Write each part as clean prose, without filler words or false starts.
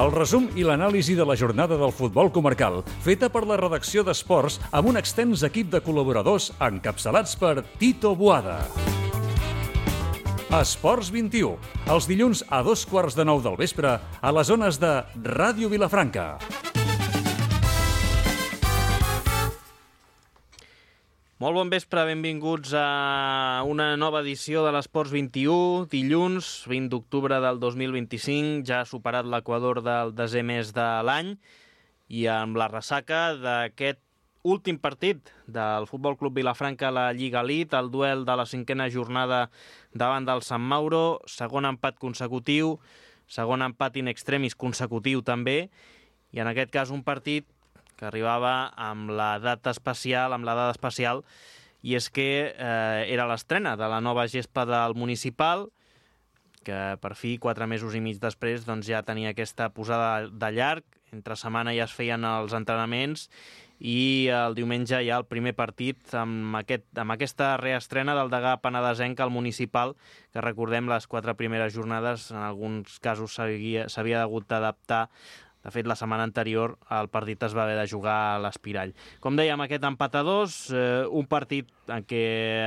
El resum i l'anàlisi de la jornada del futbol comarcal, feta per la redacció d'Esports amb un extens equip de col·laboradors encapçalats per Tito Boada. Esports 21, els dilluns a 8:15 del vespre a les zones de Ràdio Vilafranca. Molt bon vespre, benvinguts a una nova edició de l'Esports 21, dilluns 20 d'octubre del 2025, ja ha superat l'equador del desè mes de l'any i amb la ressaca d'aquest últim partit del Futbol Club Vilafranca a la Lliga Elite, el duel de la 5a jornada davant del Sant Mauro, segon empat consecutiu, segon empat in extremis consecutiu també, i en aquest cas un partit que arribava amb la data especial, i és que era l'estrena de la nova gespa del municipal, que per fi, 4 mesos i mig després, doncs ja tenia aquesta posada de llarg, entre setmana ja es feien els entrenaments, i el diumenge ja el primer partit amb aquesta reestrena del degà penedesenc al municipal, que recordem les 4 primeres jornades, en alguns casos s'havia hagut d'adaptar. De fet, la setmana anterior el partit es va haver de jugar a l'Espirall. Com dèiem, aquest empat a 2, un partit en què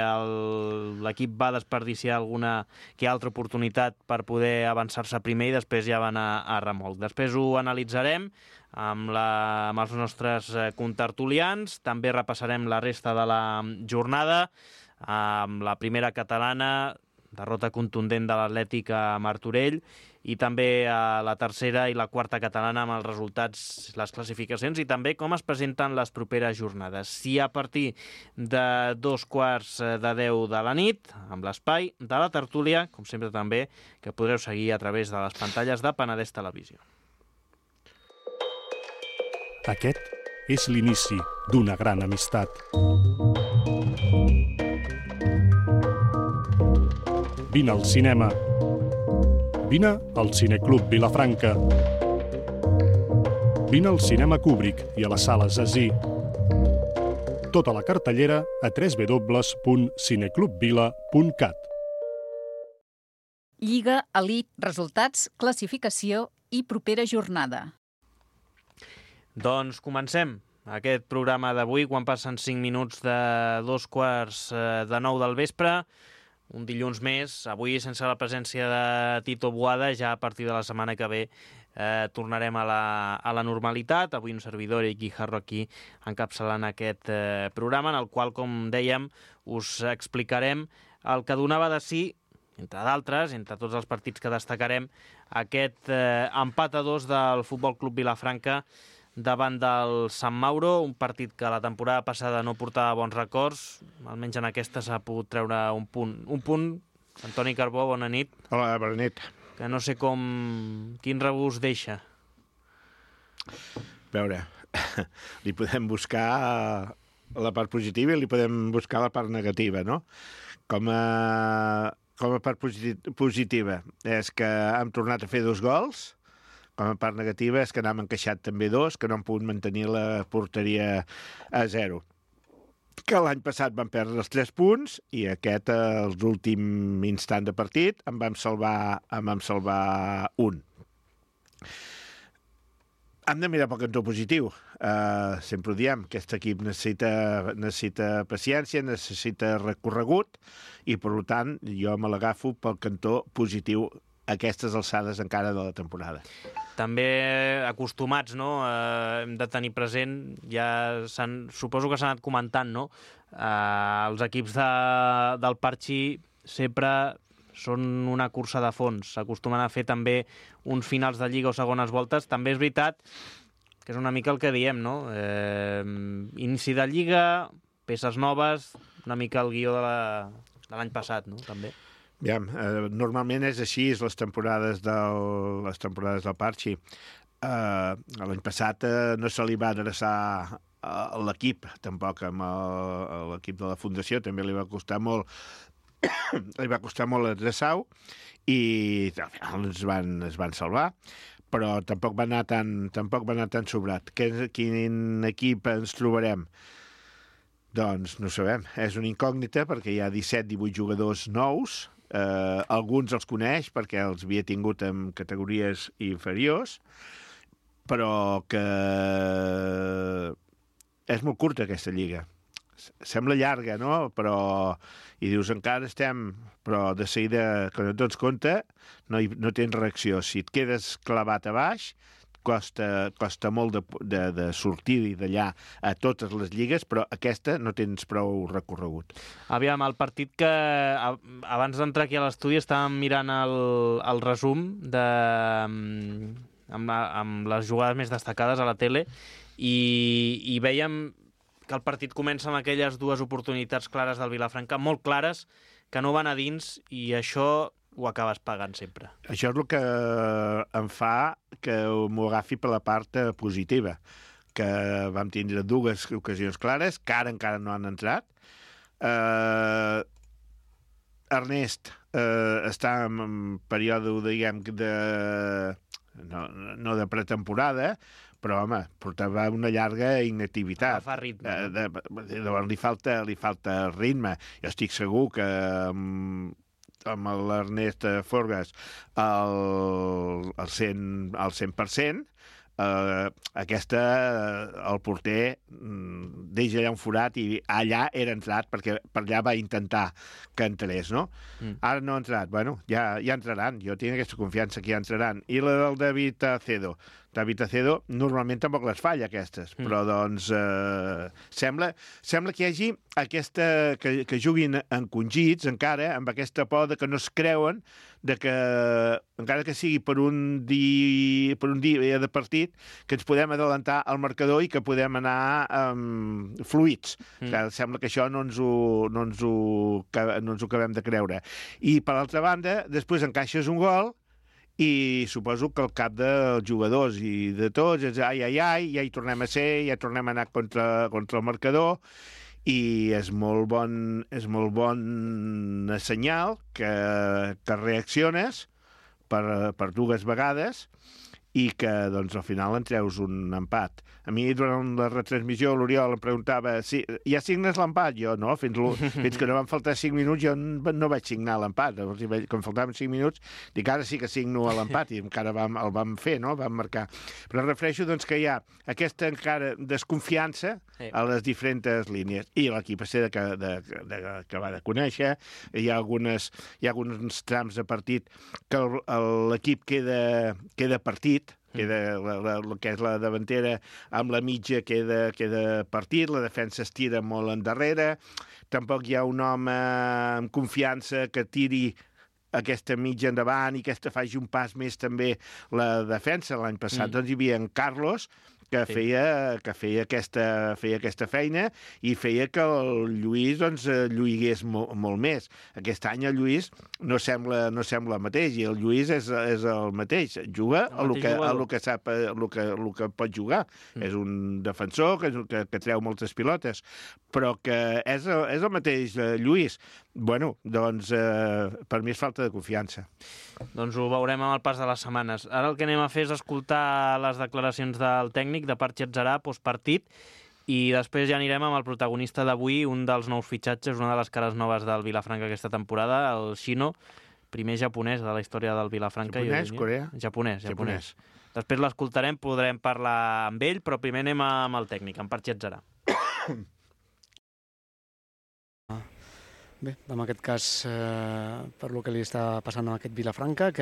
l'equip va desperdiciar alguna que altra oportunitat per poder avançar-se primer i després ja va anar a remolc. Després ho analitzarem amb els nostres contertulians, també repassarem la resta de la jornada, amb la primera catalana, derrota contundent de l'Atlètic a Martorell, i també a la tercera i la quarta catalana amb els resultats, les classificacions i també com es presenten les properes jornades. Si a partir de 9:15 de la nit, amb l'espai de la tertúlia, com sempre també, que podreu seguir a través de les pantalles de Penedès Televisió. Aquest és l'inici d'una gran amistat. Vine al cinema. Vine al Cineclub Vilafranca. Vine al Cinema Kubrick i a les sales Así. Tota la cartellera a www.cineclubvila.cat. Lliga Elite, resultats, classificació i propera jornada. Doncs comencem aquest programa d'avui quan passen 5 minuts de 8:15 del vespre. Un dilluns més, avui sense la presència de Tito Boada, ja a partir de la setmana que ve tornarem a la normalitat. Avui un servidor i Guijarro aquí encapçalant aquest programa, en el qual, com dèiem, us explicarem el que donava de si, entre d'altres, entre tots els partits que destacarem, aquest empat a 2 del Futbol Club Vilafranca davant del Sant Mauro, un partit que la temporada passada no portava bons records, almenys en aquesta s'ha pogut treure un punt. Un punt, Antoni Carbó, bona nit. Hola, bona nit. Que no sé quin regust deixa. A veure, li podem buscar la part positiva i li podem buscar la part negativa, no? Com a part positiva és que hem tornat a fer 2 gols. Com a part negativa és que n'hem encaixat també 2, que no hem pogut mantenir la porteria a 0. Que l'any passat vam perdre els 3 punts i aquest, als últim instant de partit, en vam salvar un. Hem de mirar pel cantó positiu. Sempre ho diem, aquest equip necessita paciència, necessita recorregut i, per tant, jo me l'agafo pel cantó positiu a aquestes alçades encara de la temporada. També acostumats, no? Hem de tenir present, suposo que s'ha anat comentant, no? Els equips del Parchi sempre són una cursa de fons, s'acostumen a fer també uns finals de Lliga o segones voltes. També és veritat que és una mica el que diem, no? Inici de Lliga, peces noves, una mica el guió de l'any passat, no? També. Ja, normalment és així, les temporades del Parchi. L'any passat no se li va adreçar a l'equip, tampoc amb l'equip de la Fundació, també li va costar molt adreçar-ho i es van salvar, però tampoc va anar tan sobrat. Quin equip ens trobarem? Doncs no sabem, és una incògnita perquè hi ha 17-18 jugadors nous. Alguns els coneix perquè els havia tingut en categories inferiors, però que és molt curta aquesta lliga. Sembla llarga, no? Però... I dius, encara estem... Però de seguida, quan et dones compte, no tens reacció. Si et quedes clavat a baix, costa molt de sortir d'allà a totes les lligues, però aquesta no tens prou recorregut. Aviam, el partit que abans d'entrar aquí a l'estudi estàvem mirant el resum amb les jugades més destacades a la tele i veiem que el partit comença amb aquelles dues oportunitats clares del Vilafranca, molt clares, que no van a dins, i això ho acabes pagant sempre. Això és el que em fa que m'ho agafi per la part positiva, que vam tindre dues ocasions clares, que ara encara no han entrat. Ernest està en període, diguem, no de pretemporada, però, home, portava una llarga inactivitat. Agafar ritme. Llavors li falta ritme. Jo estic segur que amb l'Ernest Forgas al 100%, el porter deixa allà un forat i allà era entrat, perquè per allà va intentar que entrés, no? Ara no ha entrat. Bueno, ja entraran. Jo tinc aquesta confiança que ja entraran. I la del David Acedo normalment tampoc les falla, aquestes, però doncs sembla que hi hagi aquesta... que juguin encongits encara, amb aquesta por de que no es creuen de que, encara que sigui per un dia de partit, que ens podem adelantar al marcador i que podem anar fluïts. Sembla que això no ens ho acabem de creure. I, per l'altra banda, després encaixes un gol i suposo que el cap dels jugadors i de tots és ja hi tornem a ser, ja tornem a anar contra el marcador, i és molt bon senyal que reacciones per dues vegades i que, doncs, al final en treus un empat. A mi, durant la retransmissió, l'Oriol em preguntava ja signes l'empat? Jo, no, fins que no van faltar 5 minuts, jo no vaig signar l'empat. Quan faltaven 5 minuts, dic, ara sí que signo l'empat, i encara el vam fer, no? Vam marcar. Però refereixo, doncs, que hi ha aquesta encara desconfiança a les diferents línies. I l'equip s'ha d'acabar de conèixer. Hi ha alguns trams de partit que l'equip queda partit, el que és la davantera amb la mitja queda partit, la defensa es tira molt endarrere, tampoc hi ha un home amb confiança que tiri aquesta mitja endavant i aquesta faci un pas més també la defensa. L'any passat doncs hi havia en Carlos, que feia aquesta feina i feia que el Lluís doncs, lluigués molt més. Aquest any el Lluís no sembla el mateix, i el Lluís és el mateix. Juga el que sap, el que pot jugar. És un defensor que treu moltes pilotes, però que és el mateix Lluís. Bueno, doncs per mi és falta de confiança. Doncs ho veurem amb el pas de les setmanes. Ara el que anem a fer és escoltar les declaracions del tècnic, de Parchet Zarà, postpartit, i després ja anirem amb el protagonista d'avui, un dels nous fitxatges, una de les cares noves del Vilafranca aquesta temporada, el Shino, primer japonès de la història del Vilafranca. Japonès, Corea? Japonès. Després l'escoltarem, podrem parlar amb ell, però primer anem amb el tècnic, amb Parchet Zarà. Bé, en aquest cas, per lo que li està passant a aquest Vilafranca,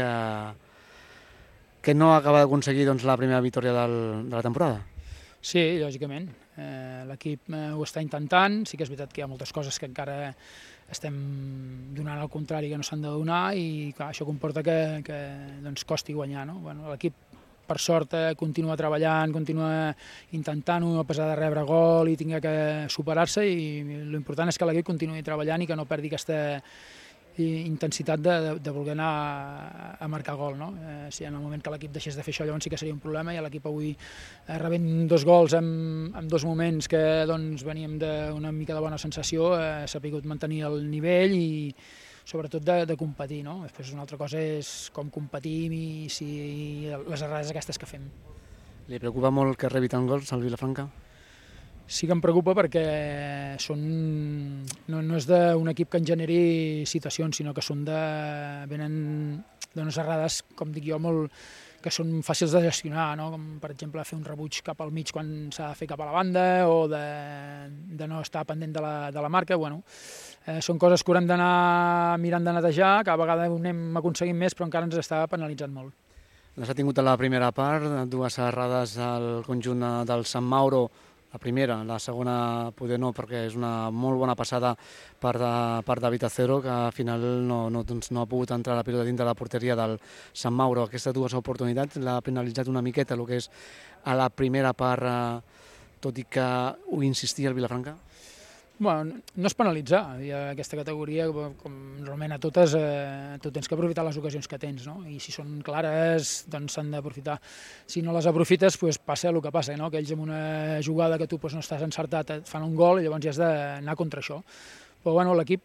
que no acaba d'aconseguir la primera victòria de la temporada. Sí, lògicament. L'equip ho està intentant. Sí que és veritat que hi ha moltes coses que encara estem donant al contrari que no s'han de donar, i clar, això comporta que doncs, costi guanyar. No? Bueno, l'equip, per sort, continua treballant, continua intentant-ho a pesar de rebre gol i tinga que superar-se, i l'important és que l'equip continuï treballant i que no perdi aquesta intensitat de voler anar a marcar gol. No? Si en el moment que l'equip deixés de fer això, llavors sí que seria un problema, i l'equip avui rebent 2 gols en 2 moments que doncs, veníem d'una mica de bona sensació, s'ha pogut mantenir el nivell i sobretot de competir, no? Després una altra cosa és com competim i si les errades aquestes que fem. Li preocupa molt que rebi tant gols al Vilafranca? Sí que em preocupa perquè no és d'un equip que en generi situacions, sinó que venen dones errades, com dic jo, que són fàcils de gestionar, no? Com per exemple fer un rebuig cap al mig quan s'ha de fer cap a la banda o de no estar pendent de la marca. Bueno, són coses que haurem d'anar mirant de netejar, cada vegada ho anem aconseguint més, però encara ens està penalitzant molt. S'ha tingut a la primera part, 2 errades al conjunt del Sant Mauro, la primera, la segona poder no, perquè és una molt bona passada per David Acero, que al final no ha pogut entrar la pilota dintre de la porteria del Sant Mauro. Aquestes 2 oportunitats l'ha penalitzat una miqueta el que és a la primera part, tot i que ho insistia el Vilafranca? Bueno, no és penalitzar, i a aquesta categoria, com normalment a totes, tu tens que aprofitar les ocasions que tens, no? I si són clares, doncs s'han d'aprofitar. Si no les aprofites, doncs passa el que passa, no? Que ells amb una jugada que tu no estàs encertat et fan un gol i llavors ja has d'anar contra això. Però bueno, l'equip,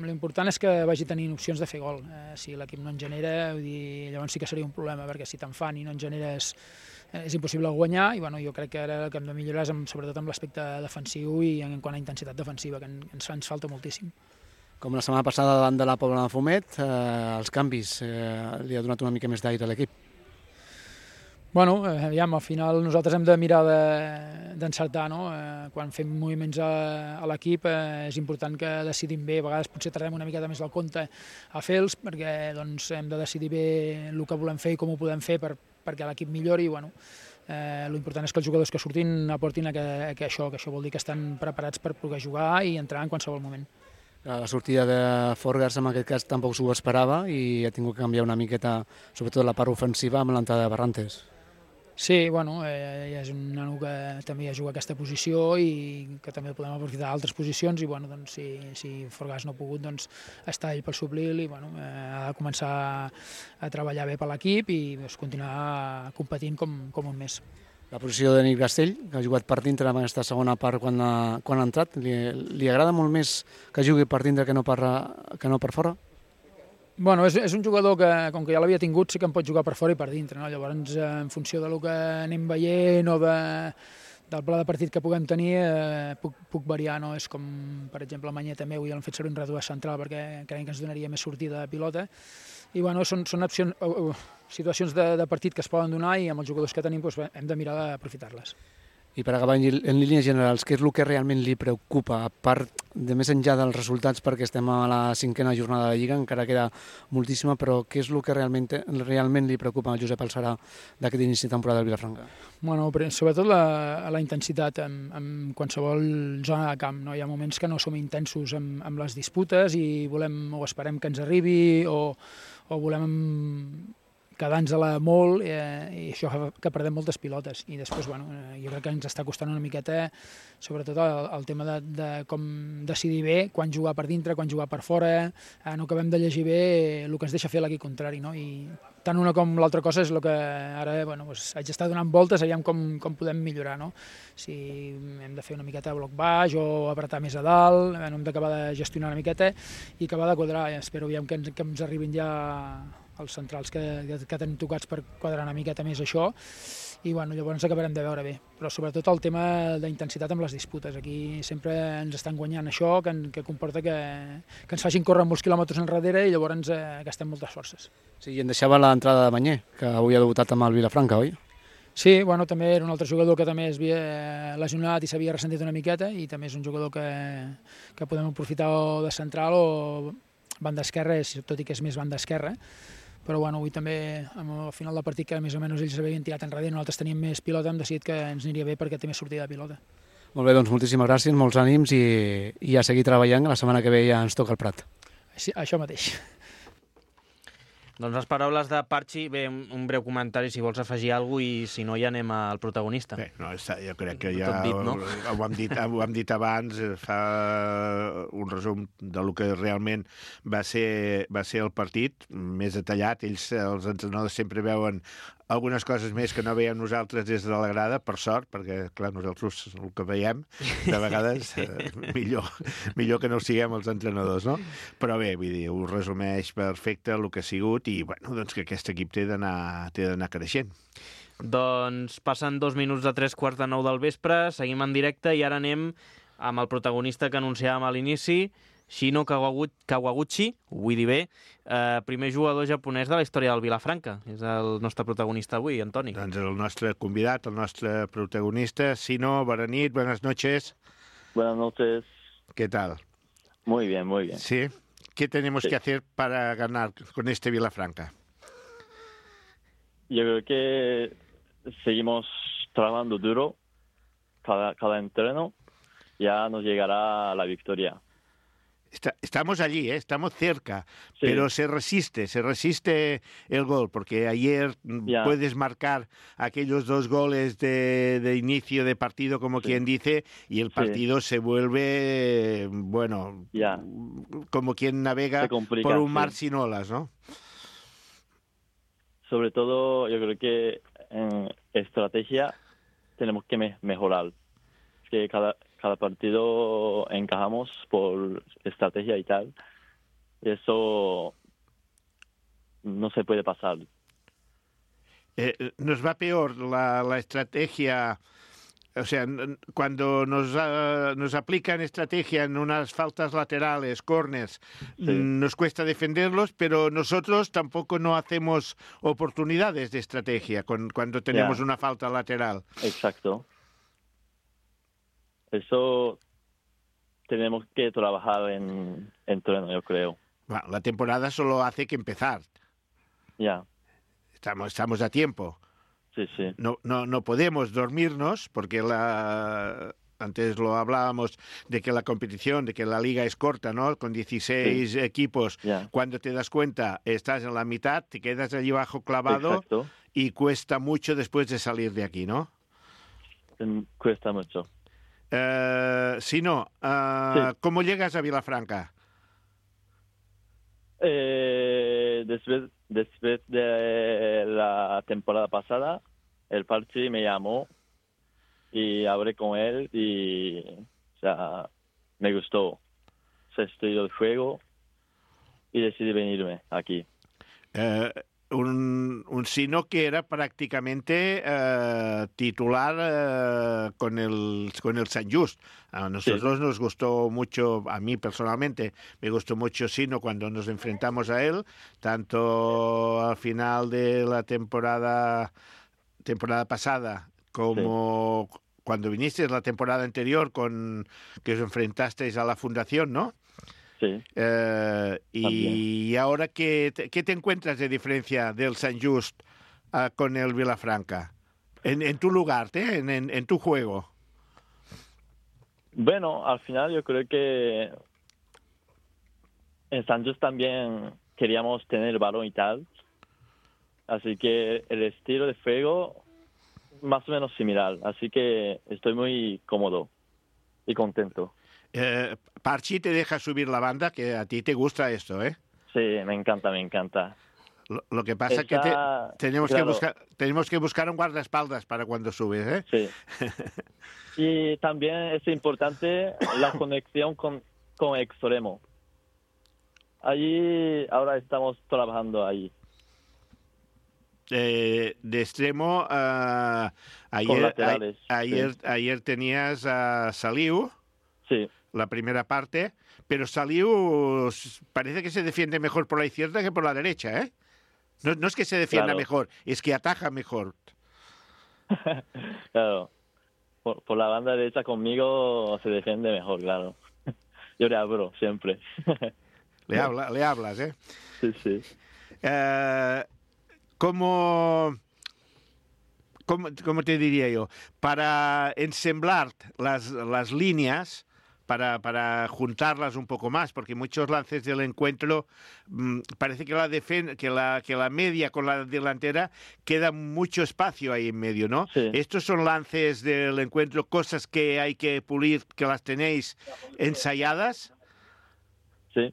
l'important és que vagi tenint opcions de fer gol. Si l'equip no en genera, vull dir, llavors sí que seria un problema, perquè si te'n fan i no en generes és impossible guanyar, i bueno, jo crec que ara el que hem de millorar és sobretot amb l'aspecte defensiu i en quant a intensitat defensiva, que ens falta moltíssim. Com la setmana passada davant de la Pobla de Fumet, els canvis li ha donat una mica més d'aire a l'equip. Bueno, aviam, al final nosaltres hem de mirar d'encertar, no? Quan fem moviments a l'equip és important que decidim bé, a vegades potser tardem una miqueta més del compte a fer-los, perquè doncs, hem de decidir bé el que volem fer i com ho podem fer perquè l'equip millori. Bueno, l'important és que els jugadors que surtin aportin que això vol dir que estan preparats per poder jugar i entrar en qualsevol moment. La sortida de Forgars en aquest cas tampoc s'ho esperava i ha tingut que canviar una miqueta, sobretot la part ofensiva, amb l'entrada de Barrantes. Sí, bueno, és un nano que també ha jugat aquesta posició i que també podem aprofitar altres posicions i bueno, doncs, si Forgars no ha pogut, doncs està ell per suplir-li i bueno, ha de començar a treballar bé per l'equip i doncs, continuar competint com un més. La posició de Nick Castell, que ha jugat per dintre en aquesta segona part quan ha entrat, li agrada molt més que jugui per dintre que no per fora? Bueno, és un jugador que, com que ja l'havia tingut, sí que em pot jugar per fora i per dintre, no? Llavors, en funció del que anem veient o del pla de partit que puguem tenir, puc variar, no? És com, per exemple, a Manyet també avui l'han fet servir un reduït central perquè creiem que ens donaria més sortida de pilota. I bueno, són situacions de partit que es poden donar i amb els jugadors que tenim doncs, hem de mirar d'aprofitar-les. I per acabar en línies generals, què és el que realment li preocupa, a part de més enllà dels resultats, perquè estem a la 5a jornada de Lliga, encara queda moltíssima, però què és el que realment li preocupa a Josep Alçarà d'aquest inici de temporada del Vilafranca? Bueno, sobretot la intensitat en qualsevol zona de camp. No? Hi ha moments que no som intensos amb les disputes i volem o esperem que ens arribi o volem quedant-nos-la molt i això fa que perdem moltes pilotes i després bueno, jo crec que ens està costant una miqueta sobretot el tema de com decidir bé quan jugar per dintre, quan jugar per fora, no acabem de llegir bé el que ens deixa fer l'equip contrari, no? I tant una com l'altra cosa és el que ara bueno, doncs, haig d'estar donant voltes, aviam com podem millorar, no? Si hem de fer una miqueta de bloc baix o apretar més a dalt, hem d'acabar de gestionar una miqueta i acabar de quadrar, espero aviam que ens arribin ja els centrals que tenim tocats per quadrar una miqueta més això i bueno, llavors acabarem de veure bé, però sobretot el tema d'intensitat amb les disputes, aquí sempre ens estan guanyant això que comporta que ens facin córrer molts quilòmetres enrere i llavors gastem moltes forces. Sí, i en deixava l'entrada de Banyer, que avui ha debutat amb el Vilafranca, oi? Sí, bueno, també era un altre jugador que també es havia lesionat i s'havia ressentit una miqueta i també és un jugador que podem aprofitar o de central o banda esquerra, tot i que és més banda esquerra, però bueno, avui també al final del partit que més o menys ells s'havien tirat enrere i nosaltres teníem més pilota, hem decidit que ens aniria bé perquè té més sortida de pilota. Molt bé, doncs moltíssimes gràcies, molts ànims i a seguir treballant, la setmana que ve ja ens toca el Prat. Sí, això mateix. Doncs les paraules de Parchi, bé, un breu comentari si vols afegir alguna cosa i si no ja anem al protagonista. Bé, no, jo crec que ja dit, no? ho hem dit abans, fa un resum del que realment va ser el partit, més detallat. Ells, els entrenadors, sempre veuen algunes coses més que no veiem nosaltres des de la grada, per sort, perquè, clar, nosaltres el que veiem, de vegades, millor que no ho siguem els entrenadors, no? Però bé, vull dir, ho resumeix perfecte el que ha sigut i, bueno, doncs que aquest equip té d'anar creixent. Doncs passen 2 minuts de 3:45 del vespre, seguim en directe i ara anem amb el protagonista que anunciàvem a l'inici, Shino Kawaguchi, ho vull dir bé, primer jugador japonès de la història del Vilafranca. És el nostre protagonista avui, Antoni. Doncs el nostre convidat, el nostre protagonista, Shino, bona nit, buenas noches. Buenas noches. ¿Qué tal? Muy bien, muy bien. Sí. ¿Qué tenemos que hacer para ganar con este Vilafranca? Yo creo que seguimos trabajando duro cada entreno, ya nos llegará la victoria. Estamos allí, estamos cerca, Sí. pero se resiste el gol, porque ayer puedes marcar aquellos 2 goles de inicio de partido, como quien dice, y el partido se vuelve, bueno, como quien navega por un mar sin olas, ¿no? Sobre todo, yo creo que en estrategia tenemos que mejorar. Es que cada partido encajamos por estrategia y tal. Y eso no se puede pasar. Nos va peor la estrategia. O sea, cuando nos aplican estrategia en unas faltas laterales, corners, nos cuesta defenderlos, pero nosotros tampoco no hacemos oportunidades de estrategia cuando tenemos una falta lateral. Exacto. Eso tenemos que trabajar en entreno, yo creo. Bueno, la temporada solo hace que empezar. Ya. Estamos a tiempo. Sí, sí. No podemos dormirnos porque antes lo hablábamos de que la competición, de que la liga es corta, ¿no? Con 16 equipos. Cuando te das cuenta, estás en la mitad, te quedas allí abajo clavado. Exacto. Y cuesta mucho después de salir de aquí, ¿no? Cuesta mucho. Si no, ¿cómo llegas a Vilafranca? Después de la temporada pasada, el Parchi me llamó y hablé con él y, o sea, me gustó su estilo de juego y decidí venirme aquí. Un Sino que era prácticamente titular con el Sant Just. A nosotros nos gustó mucho, a mí personalmente, me gustó mucho Sino cuando nos enfrentamos a él, tanto al final de la temporada pasada como cuando vinisteis la temporada anterior que os enfrentasteis a la Fundación, ¿no? Sí. Y ahora, ¿qué te encuentras de diferencia del Sant Just con el Vilafranca? En tu lugar, en tu juego. Bueno, al final yo creo que en Sant Just también queríamos tener el balón y tal. Así que el estilo de juego más o menos similar. Así que estoy muy cómodo y contento. Parchi te deja subir la banda, que a ti te gusta esto, ¿eh? Sí, me encanta. Lo que pasa es que tenemos que buscar un guardaespaldas para cuando subes, ¿eh? Sí. Y también es importante la conexión con extremo. Allí ahora estamos trabajando ahí. De extremo, ayer tenías a Saliu. Sí. La primera parte, pero Saliu parece que se defiende mejor por la izquierda que por la derecha, ¿eh? No es que se defienda mejor, es que ataja mejor. Claro, por la banda derecha conmigo se defiende mejor, claro. Yo le hablo siempre. Le hablas, ¿eh? Sí. ¿Cómo te diría yo? Para ensamblar las líneas, para juntarlas un poco más, porque muchos lances del encuentro parece que la media con la delantera queda mucho espacio ahí en medio, ¿no? Sí. Estos son lances del encuentro, cosas que hay que pulir, que las tenéis ensayadas. Sí.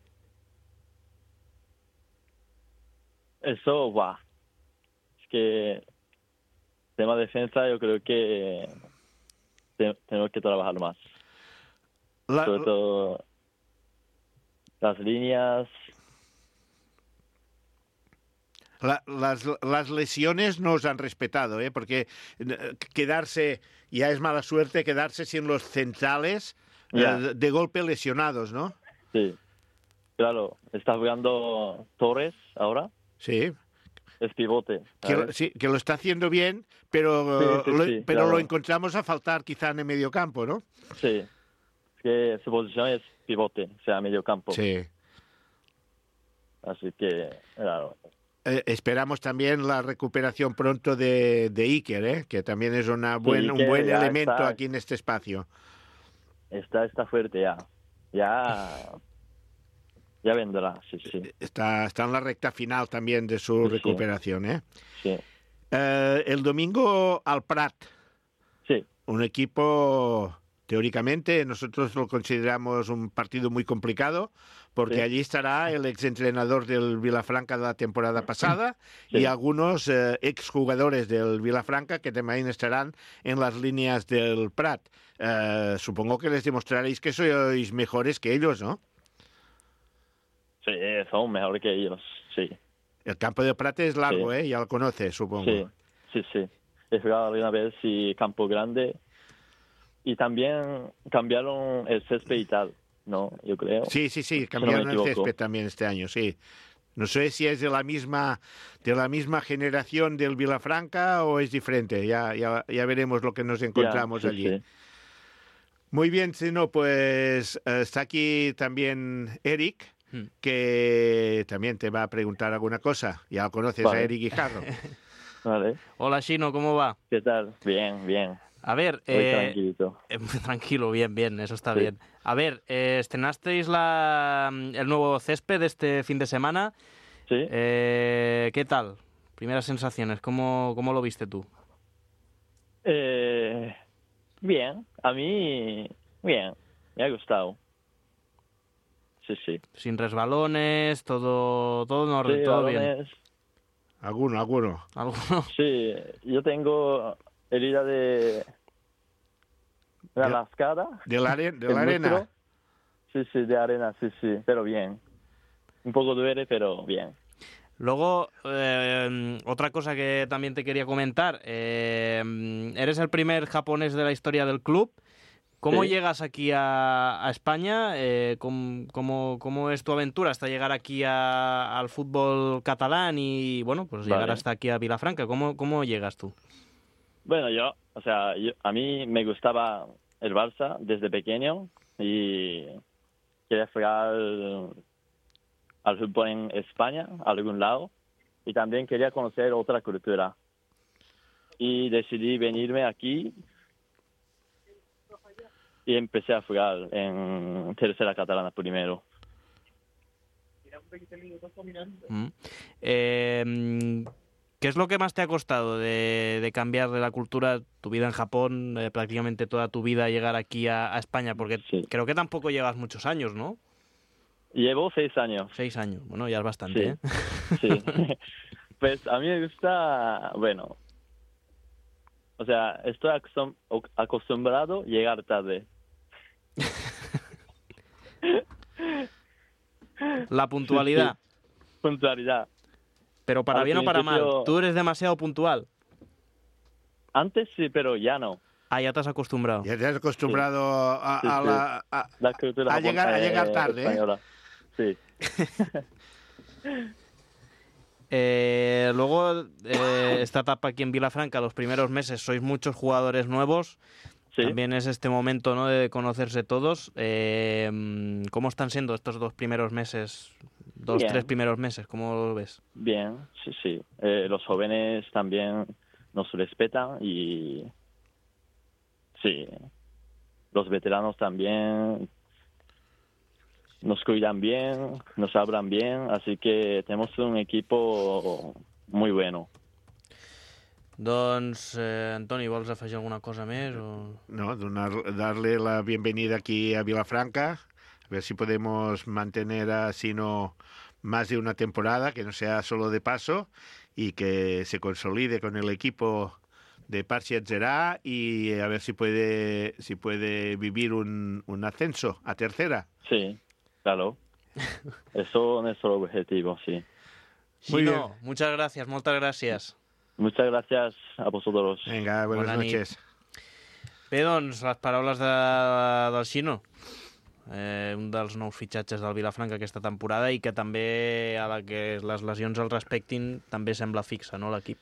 Eso va. Es que tema defensa yo creo que tenemos que trabajar más. Sobre todo las líneas. Las lesiones no os han respetado, ¿eh? Porque quedarse, ya es mala suerte, quedarse sin los centrales de golpe lesionados, ¿no? Sí. Claro, está jugando Torres ahora. Sí. Es pivote. Sí, que lo está haciendo bien, pero, sí, pero claro. lo encontramos a faltar quizá en el medio campo, ¿no? Sí, es que su posición es pivote, o sea, medio campo. Sí. Así que, claro. Esperamos también la recuperación pronto de Iker, que también es un buen elemento está, aquí en este espacio. Está fuerte ya. Ya vendrá, sí. Está en la recta final también de su recuperación, ¿eh? Sí. El domingo al Prat. Sí. Un equipo, teóricamente, nosotros lo consideramos un partido muy complicado, porque allí estará el exentrenador del Vilafranca de la temporada pasada y algunos exjugadores del Vilafranca que también estarán en las líneas del Prat. Supongo que les demostraréis que sois mejores que ellos, ¿no? Sí, son mejores que ellos, sí. El campo de Prat es largo, ya lo conoces, supongo. Sí. He jugado una vez y campo grande. Y también cambiaron el césped y tal, ¿no? Yo creo. Sí, cambiaron el césped también este año, sí. No sé si es de la misma generación del Vilafranca o es diferente. Ya veremos lo que nos encontramos allí. Sí. Muy bien, Chino, pues está aquí también Eric, que también te va a preguntar alguna cosa. Ya lo conoces, a Eric Guijarro. Vale. Hola, Chino, ¿cómo va? ¿Qué tal? Bien. A ver, tranquilito. Tranquilo, bien, eso está bien. A ver, estrenasteis el nuevo césped este fin de semana. Sí. ¿Qué tal? Primeras sensaciones, ¿cómo lo viste tú? Bien, a mí, bien, me ha gustado. Sí. Sin resbalones, todo en orden, todo bien. ¿Alguno? Sí, yo tengo herida de la lascada. ¿De la arena? Sí, de arena, sí, pero bien. Un poco duele, pero bien. Luego, otra cosa que también te quería comentar. Eres el primer japonés de la historia del club. ¿Cómo llegas aquí a España? ¿Cómo es tu aventura hasta llegar aquí al fútbol catalán y, bueno, pues llegar hasta aquí a Vilafranca? ¿Cómo llegas tú? Bueno, a mí me gustaba el Barça desde pequeño y quería jugar al fútbol en España, a algún lado, y también quería conocer otra cultura. Y decidí venirme aquí y empecé a jugar en tercera catalana primero. ¿Qué es lo que más te ha costado de cambiar de la cultura, tu vida en Japón, prácticamente toda tu vida, llegar aquí a España? Porque creo que tampoco llevas muchos años, ¿no? Llevo 6 años. 6 años, bueno, ya es bastante, Sí. Pues a mí me gusta, bueno, estoy acostumbrado a llegar tarde. La puntualidad. Sí. Puntualidad. Pero para bien o para mal, ¿tú eres demasiado puntual? Antes sí, pero ya no. Ya te has acostumbrado. Ya te has acostumbrado a llegar tarde. Española. Sí. Luego, esta etapa aquí en Vilafranca, los primeros meses, sois muchos jugadores nuevos. Sí. También es este momento, ¿no?, de conocerse todos. ¿Cómo están siendo estos 2 primeros meses? 3 primeros meses, ¿cómo lo ves? Bien, sí. Los jóvenes también nos respetan y sí, los veteranos también nos cuidan bien, nos hablan bien, así que tenemos un equipo muy bueno. Doncs, Antoni, vols afegir alguna cosa més? O... No, darle la bienvenida aquí a Vilafranca, a ver si podemos mantener así más de una temporada, que no sea solo de paso, y que se consolide con el equipo de Parsiat Zerá y a ver si puede vivir un ascenso a tercera. Sí, claro. Eso es nuestro objetivo, sí. Muy bien. Muchas gracias, moltes gràcies. Muchas gracias a vosotros. Venga, buenas noches. Bé, doncs, les paraules del Xino. un dels nous fitxatges del Vilafranca aquesta temporada, i que també, a la que les lesions el respectin, també sembla fixa, no, l'equip?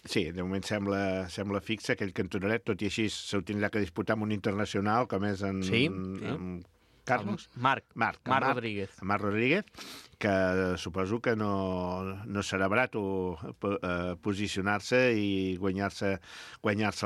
Sí, de moment sembla fixa aquell cantonaret, tot i així s'ho tindrà que disputar amb un internacional, com és en Carlos? Marc Rodríguez. Marc Rodríguez, que suposo que no serà barat posicionar-se i guanyar-se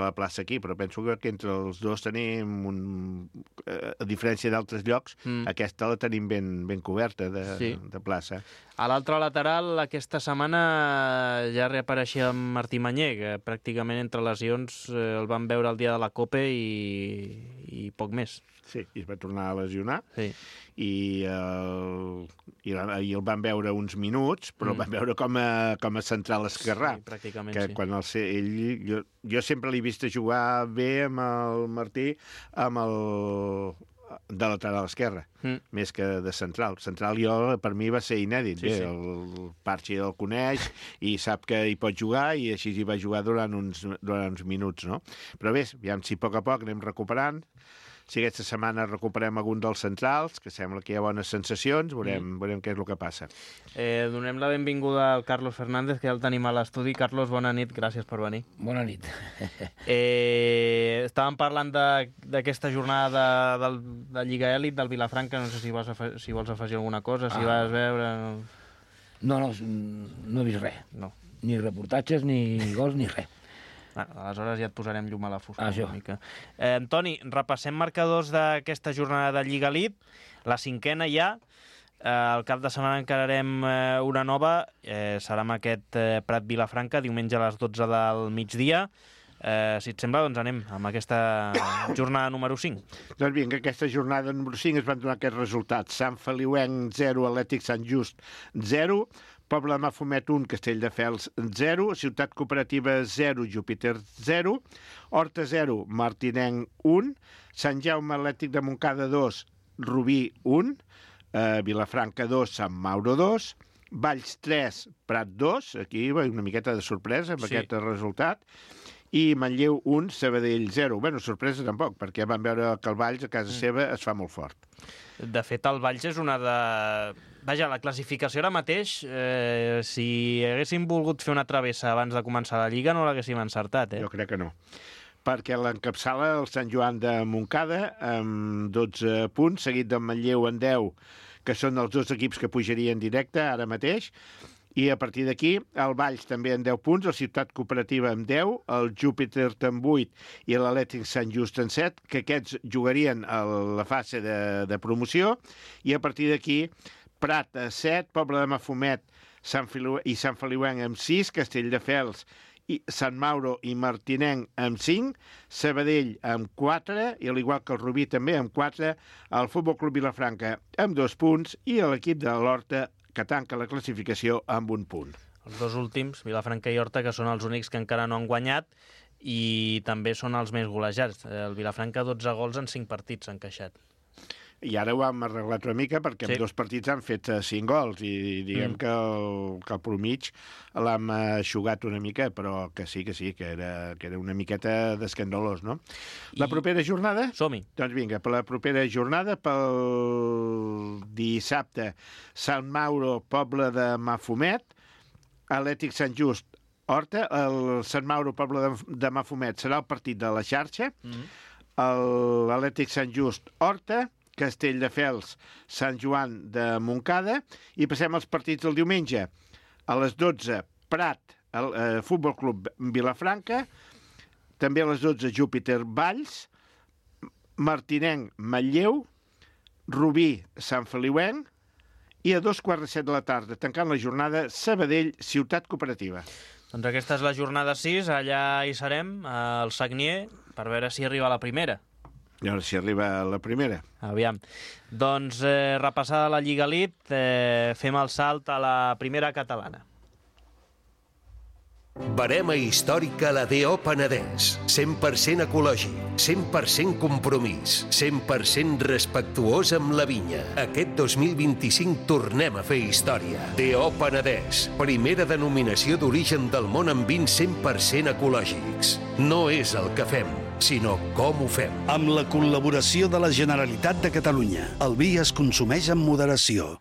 la plaça aquí, però penso que entre els dos tenim, a diferència d'altres llocs, aquesta la tenim ben coberta de plaça. A l'altre lateral, aquesta setmana ja reapareixia Martí Mañé, que pràcticament entre lesions el van veure el dia de la Copa i poc més. Sí, i es va tornar a lesionar. Sí. I el van veure uns minuts, però el van veure com a central esquerrà. Sí, pràcticament, que quan jo sempre l'he vist jugar bé amb el Martí, de lateral esquerra, més que de central. Central per mi va ser inèdit. Sí, bé, el Parchi el coneix i sap que hi pot jugar, i així hi va jugar durant uns minuts, no? Però bé, aviam si a poc anem recuperant. Si aquesta setmana recuperem algun dels centrals, que sembla que hi ha bones sensacions, veurem què és el que passa. Donem la benvinguda al Carlos Fernández, que ja el tenim a l'estudi. Carlos, bona nit, gràcies per venir. Bona nit. Estàvem parlant d'aquesta jornada de Lliga Èlit del Vilafranca, no sé si vols afegir alguna cosa, si vas veure... No he vist res. No. Ni reportatges, ni gols, ni res. Aleshores ja et posarem llum a la foscor una mica. Toni, repassem marcadors d'aquesta jornada de Lliga Elite, la 5a ja. El cap de setmana encararem una nova, serà amb aquest Prat Vilafranca, diumenge a les 12 del migdia. Si et sembla, doncs anem amb aquesta jornada número 5. Doncs vinga, aquesta jornada número 5 es van donar aquests resultats. Sant Feliuenc 0, Atlètic Sant Just 0, Pobla de Mafumet 1, Castelldefels 0, Ciutat Cooperativa 0, Júpiter 0, Horta 0, Martinenc 1, Sant Jaume Atlètic de Montcada 2, Rubí 1, Vilafranca 2, Sant Mauro 2, Valls 3, Prat 2, aquí una miqueta de sorpresa amb aquest resultat, i Manlleu 1, Sabadell 0. Bueno, sorpresa tampoc, perquè vam veure que el Valls a casa seva es fa molt fort. De fet, el Valls és una de... Vaja, la classificació ara mateix, si haguéssim volgut fer una travessa abans de començar la Lliga, no l'haguéssim encertat, Jo crec que no. Perquè l'encapçala el Sant Joan de Montcada amb 12 punts, seguit del Manlleu en 10, que són els dos equips que pujarien directe ara mateix, i a partir d'aquí el Valls també en 10 punts, la Ciutat Cooperativa amb 10, el Júpiter amb 8 i l'Atlètic Sant Just en 7, que aquests jugarien a la fase de promoció, i a partir d'aquí Prat a 7, Pobla de Mafumet i Sant Feliuenc amb 6, Castelldefels, Sant Mauro i Martinenc amb 5, Sabadell amb 4, i al igual que el Rubí també amb 4, el Futbol Club Vilafranca amb 2 punts i l'equip de l'Horta, que tanca la classificació amb 1 punt. Els dos últims, Vilafranca i Horta, que són els únics que encara no han guanyat, i també són els més golejats. El Vilafranca 12 gols en 5 partits s'ha encaixat. I ara ho hem arreglat una mica perquè en 2 partits han fet 5 gols i diguem que el promig l'hem eixugat una mica, però que sí, que era una miqueta d'escandalós, no? La propera jornada? Som-hi. Doncs vinga, per la propera jornada, pel dissabte, Sant Mauro, Pobla de Mafumet, Atlètic Sant Just, Horta, el Sant Mauro, Pobla de Mafumet serà el partit de la xarxa, l'Atlètic Sant Just, Horta, Castelldefels, Sant Joan de Montcada, i passem als partits del diumenge. A les 12, Prat, Futbol Club Vilafranca, també a les 12, Júpiter Valls, Martinenc Manlleu, Rubí Sant Feliuenc, i a 2:15 de la tarda, tancant la jornada, Sabadell, Ciutat Cooperativa. Doncs aquesta és la jornada 6, allà hi serem, al Sagnier, per veure si arriba a la primera. I ara si arriba la primera. Aviam. Doncs repassada la Lliga Elite, fem el salt a la primera catalana. Verema històrica a la D.O. Penedès. 100% ecològic, 100% compromís, 100% respectuós amb la vinya. Aquest 2025 tornem a fer història. D.O. Penedès, primera denominació d'origen del món amb vins 100% ecològics. No és el que fem, sinó com ho fem. Amb la col·laboració de la Generalitat de Catalunya. El vi es consumeix amb moderació.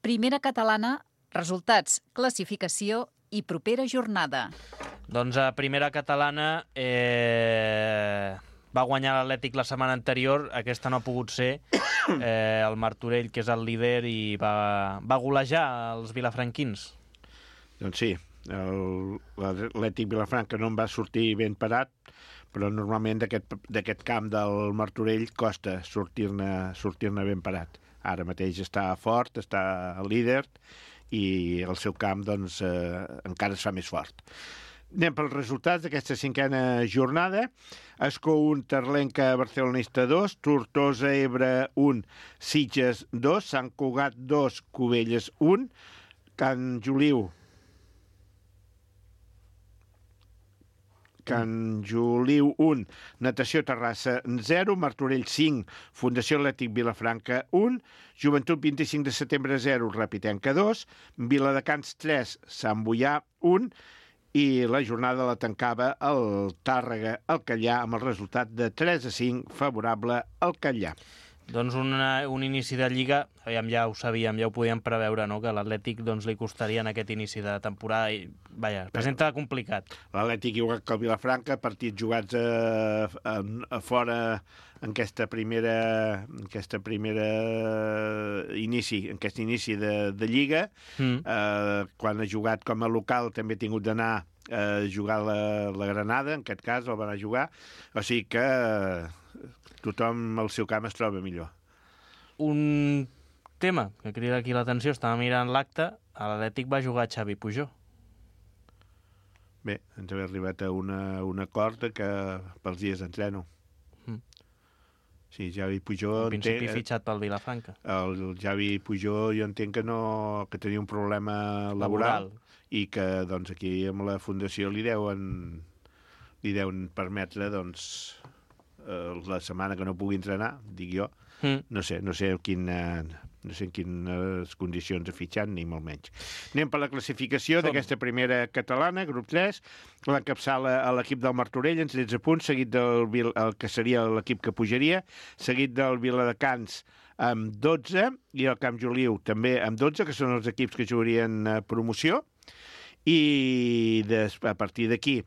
Primera catalana, resultats, classificació i propera jornada. Doncs a primera catalana va guanyar l'Atlètic la setmana anterior, aquesta no ha pogut ser, el Martorell, que és el líder, i va golejar els vilafranquins. Doncs sí, l'Atlètic Vilafranca no en va sortir ben parat, però normalment d'aquest camp del Martorell costa sortir-ne ben parat. Ara mateix està fort, està líder, i el seu camp doncs, encara es fa més fort. Anem pels resultats d'aquesta cinquena jornada. Escó 1, Terlenca Barcelonista 2, Tortosa Ebre 1, Sitges 2, Sant Cugat 2, Cubelles 1, Can Juliu 1, Natació Terrassa 0, Martorell 5, Fundació Atlètic Vilafranca 1, Joventut 25 de setembre 0, Rapitenca 2, Viladecans 3, Sant Boià 1, i la jornada la tancava el Tàrrega al Catllà amb el resultat de 3-5 favorable al Catllà. Doncs un inici de Lliga, ja ho sabíem, ja ho podíem preveure, no? Que a l'Atlètic doncs, li costaria en aquest inici de temporada i, presenta complicat. L'Atlètic, igual que el Vilafranca, partits jugats a fora en aquest inici de Lliga. Quan ha jugat com a local també ha tingut d'anar a jugar la Granada, en aquest cas el van a jugar, o sigui que tothom al seu camp es troba millor. Un tema que crida aquí l'atenció, estava mirant l'acte, a l'Atlètic va jugar Xavi Pujol. Bé, ens hem arribat a un acord que pels dies d'entreno. Sí, Xavi Pujol... En principi fitxat pel Vilafranca. El Xavi Pujol jo entenc que tenia un problema laboral i que doncs, aquí amb la Fundació li deuen permetre doncs, la setmana que no pugui entrenar, dic jo, no sé en quines condicions ha fitxat, ni molt menys. Anem per la classificació d'aquesta primera catalana, grup 3, l'encapçala a l'equip del Martorell en 13 punts, seguit del que seria l'equip que pujaria, seguit del Viladecans amb 12, i el Camp Juliu també amb 12, que són els equips que jugarien promoció, i a partir d'aquí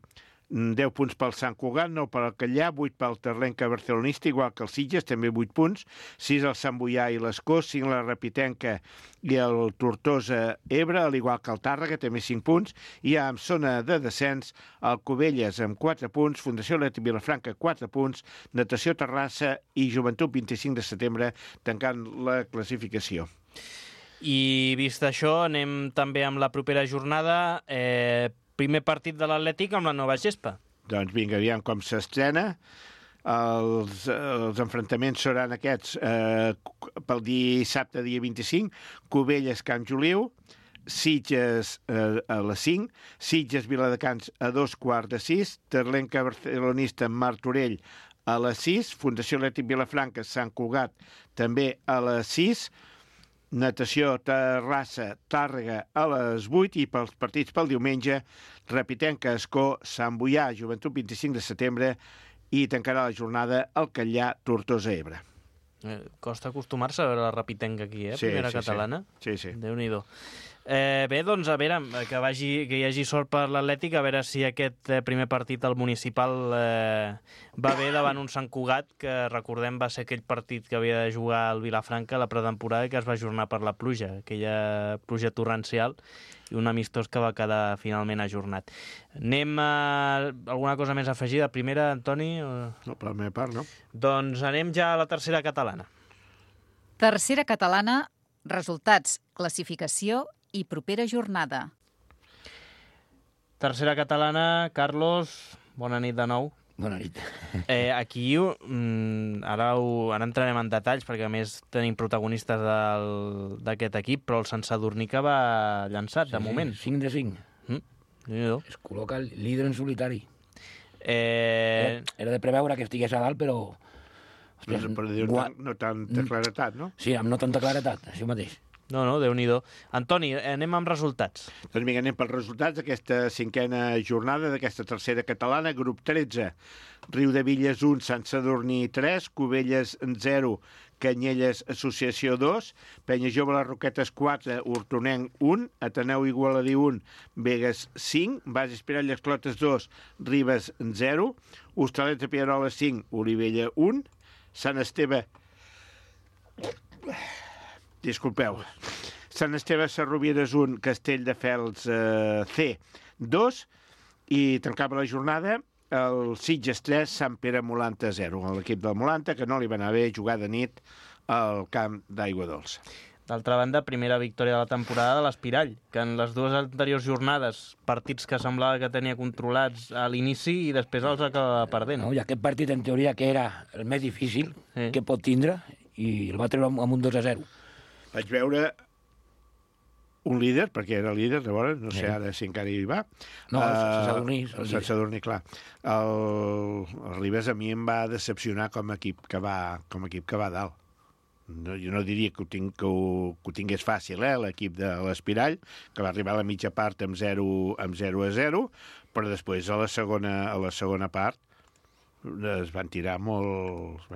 10 punts pel Sant Cugat, 9 pel Catllà, 8 pel Terlenca Barcelonista, igual que el Sitges, també 8 punts, 6 el Sant Boià i l'Escó, 5 la Rapitenca i el Tortosa Ebre, al igual que el Tàrrega, també 5 punts, i en zona de descens el Cubelles amb 4 punts, Fundació Atlètic Vilafranca 4 punts, Natació Terrassa i Joventut 25 de setembre tancant la classificació. I vist això, anem també amb la propera jornada. Primer partit de l'Atlètic amb la nova gespa. Doncs vinga, aviam com s'estrena. Els enfrontaments seran aquests pel dissabte, dia 25, Cubelles, Camp Juliu, Sitges a les 5, Sitges, Viladecans a 2:15, Terlenca Barcelonista, Martorell a les 6, Fundació Atlètic Vilafranca, Sant Cugat també a les 6, Natació Terrassa, Tàrrega a les 8, i pels partits pel diumenge, Rapitenca, Escó, Sant Boià, Joventut 25 de setembre, i tancarà la jornada el Catllà, Tortosa Ebre. Costa acostumar-se a veure la Rapitenca aquí, primera catalana. Sí. Déu-n'hi-do. Bé, doncs a veure, que hi hagi sort per l'Atlètic, a veure si aquest primer partit al municipal va bé davant un Sant Cugat, que recordem va ser aquell partit que havia de jugar al Vilafranca a la pretemporada, que es va ajornar per la pluja, aquella pluja torrencial, i un amistós que va quedar finalment ajornat. Anem a alguna cosa més afegida? Primera, Antoni? No, per la meva part, no. Doncs anem ja a la tercera catalana. Tercera catalana, resultats, classificació i propera jornada. Tercera catalana, Carlos, bona nit de nou. Bona nit. Aquí ara entrarem en detalls, perquè a més tenim protagonistes d'aquest equip, però el Sant Sadurní que va llançat, de moment. 5 de 5. Es col·loca el líder en solitari. Era de preveure que estigués a dalt, però... Però no tanta claretat, no? Sí, amb no tanta claretat, això mateix. No, Déu-n'hi-do. Antoni, anem amb resultats. Doncs vinga, anem pels resultats d'aquesta 5a jornada d'aquesta tercera catalana. Grup 13, Riudebitlles 1, Sant Sadurní 3, Cubelles 0, Canyelles Associació 2, Penya Jove Les Roquetes 4, Hortonenc 1, Ateneu Igualadí 1, Begues 5, Bases Pirall Esclotes 2, Ribes 0, Hostalets de Pieroles 5, Olivella 1, Sant Esteve... Disculpeu. Sant Esteve Sarrovieres 1, Castelldefels C 2 i tancava la jornada el Sitges 3, Sant Pere Molanta 0. L'equip del Molanta, que no li va anar bé jugar de nit al camp d'Aigua Dolça. D'altra banda, primera victòria de la temporada de l'Espirall, que en les dues anteriors jornades, partits que semblava que tenia controlats a l'inici i després els acaba perdent. No, i aquest partit, en teoria, que era el més difícil que pot tindre, i el va treure amb un 2-0. Vaig veure un líder, perquè era líder, llavors, no sé ara si encara hi va. No, el Sant Sadurní, clar. El Ribes a mi em va decepcionar com a equip que va dalt. No, jo no diria que ho tingués fàcil, l'equip de l'Espirall, que va arribar a la mitja part amb 0-0, però després a la segona part es van tirar molt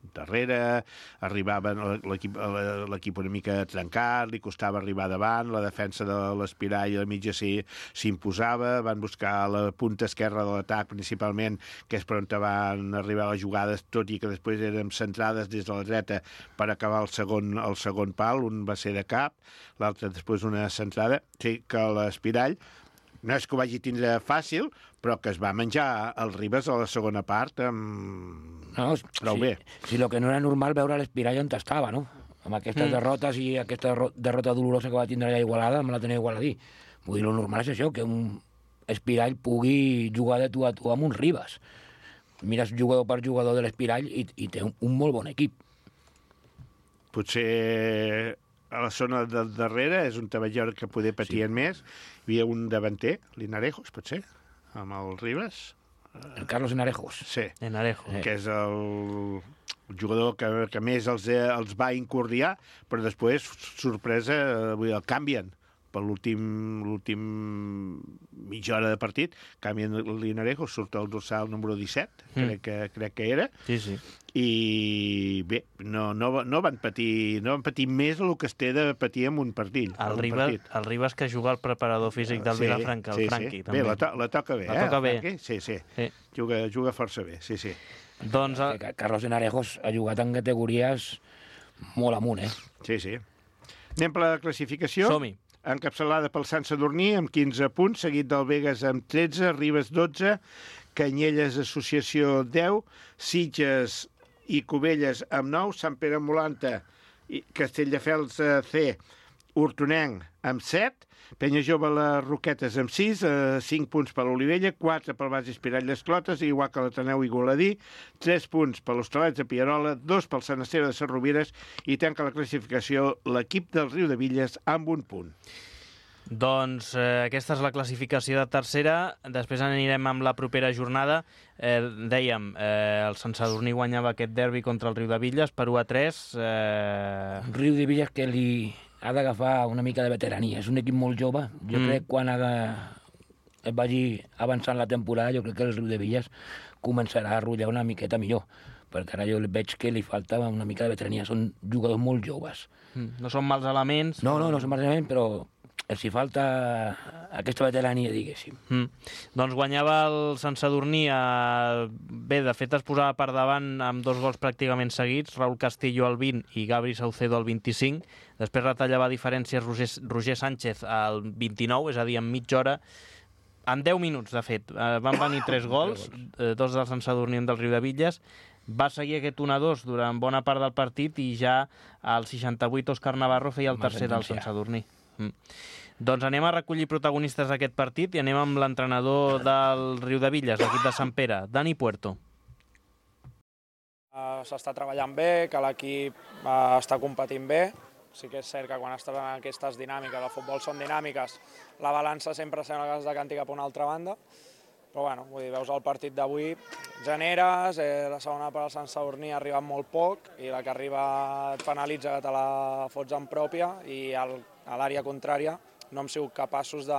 darrere, arribaven l'equip una mica trencat, li costava arribar davant, la defensa de l'Espirall a la mitja s'imposava, van buscar la punta esquerra de l'atac principalment, que és per on van arribar les jugades, tot i que després eren centrades des de la dreta per acabar el segon pal, un va ser de cap, l'altre després una centrada, sí que l'Espirall no és que ho vagi tindre fàcil, però que es va menjar el Ribes a la segona part prou bé. Sí, el que no era normal veure l'Espirall on estava, no? Amb aquestes derrotes i aquesta derrota dolorosa que va tindre allà a Igualada, amb l'Ateneu Igualadí. Vull dir, el normal és això, que un Espirall pugui jugar de tu a tu amb un Ribes. Mires jugador per jugador de l'Espirall i té un molt bon equip. Potser a la zona de darrere és un taballor que poder patien més. Hi havia un davanter, l'Inarejos, potser, amb el Ribes. El Carlos Enarejos. Sí, Enarejos. Que és el jugador que més els va incordiar, però després, sorpresa, el canvien per l'últim mitja hora de partit, canvien l'Inarejos, surt el dorsal número 17, crec que era. Sí. I bé, no van patir més del que es té de patir en un partit. El Ribes que juga al preparador físic del Vilafranca, el Franqui. Bé, la toca bé, la toca bé. Sí. Juga força bé, sí. Doncs... Carlos Enarejos ha jugat en categories molt amunt, Sí. Anem per la classificació. Som-hi. Encapçalada pel Sant Sadurní amb 15 punts, seguit del Begues amb 13, Ribes 12, Canyelles Associació 10, Sitges i Cubelles amb 9, Sant Pere Molanta i Castelldefels C, Hortonenc amb 7, Penya Jove Les Roquetes amb 6, 5 punts per l'Olivella, 4 pel Bases Pirall d'Esclotes, igual que l'Ateneu Igualadí, 3 punts per l'Hostalets de Pierola, 2 pel Sant Esteve de Sarrovires i tanca la classificació l'equip del Riudebitlles amb 1 punt. Doncs aquesta és la classificació de tercera. Després anirem amb la propera jornada. Dèiem, el Sant Sadurní guanyava aquest derbi contra el Riudebitlles per 1-3. Riudebitlles que li ha d'agafar una mica de veterania. És un equip molt jove. Jo crec que quan es vagi avançant la temporada, jo crec que el Riudebitlles començarà a rotllar una miqueta millor, perquè ara jo veig que li falta una mica de veterania. Són jugadors molt joves. No són mals elements. No són mals elements, però els hi falta aquesta veterania, diguéssim. Doncs guanyava el Sant Sadurní. Bé, de fet es posava per davant amb 2 gols pràcticament seguits, Raúl Castillo al 20 i Gabri Saucedo al 25. Després retallava diferències Roger Sánchez al 29, és a dir, en mitja hora. En 10 minuts, de fet, van venir 3 gols, 2 del Sant Sadurní i un del Riudebitlles. Va seguir aquest 1-2 durant bona part del partit i ja al 68 Òscar Navarro feia el tercer del Sant Sadurní. Doncs anem a recollir protagonistes d'aquest partit i anem amb l'entrenador del Riudebitlles, l'equip de Sant Pere, Dani Puerto. S'està treballant bé, que l'equip està competint bé. Sí que és cert que quan estàs en aquestes dinàmiques, el futbol són dinàmiques, la balança sempre sembla que es decanti cap a una altra banda, Però bueno, vull dir, veus el partit d'avui, generes, la segona per al Sant Sadurní ha arribat molt poc i la que arriba et penalitza que te la fots en pròpia i a l'àrea contrària no hem sigut capaços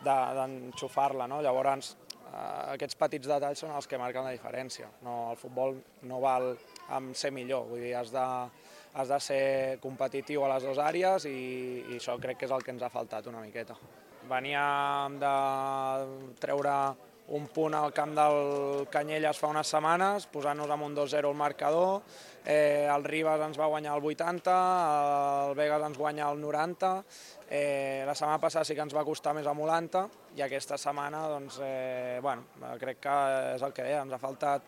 d'enxufar-la, no? Llavors, aquests petits detalls són els que marquen la diferència. No, el futbol no val amb ser millor, vull dir, has de ser competitiu a les dues àrees i això crec que és el que ens ha faltat una miqueta. Veníem de treure un punt al camp del Canyelles fa unes setmanes, posant-nos amb un 2-0 al marcador, el Ribas ens va guanyar el 80, el Vegas ens guanya el 90, la setmana passada sí que ens va costar més amb Olanta i aquesta setmana, doncs, crec que és el que deia, ens ha faltat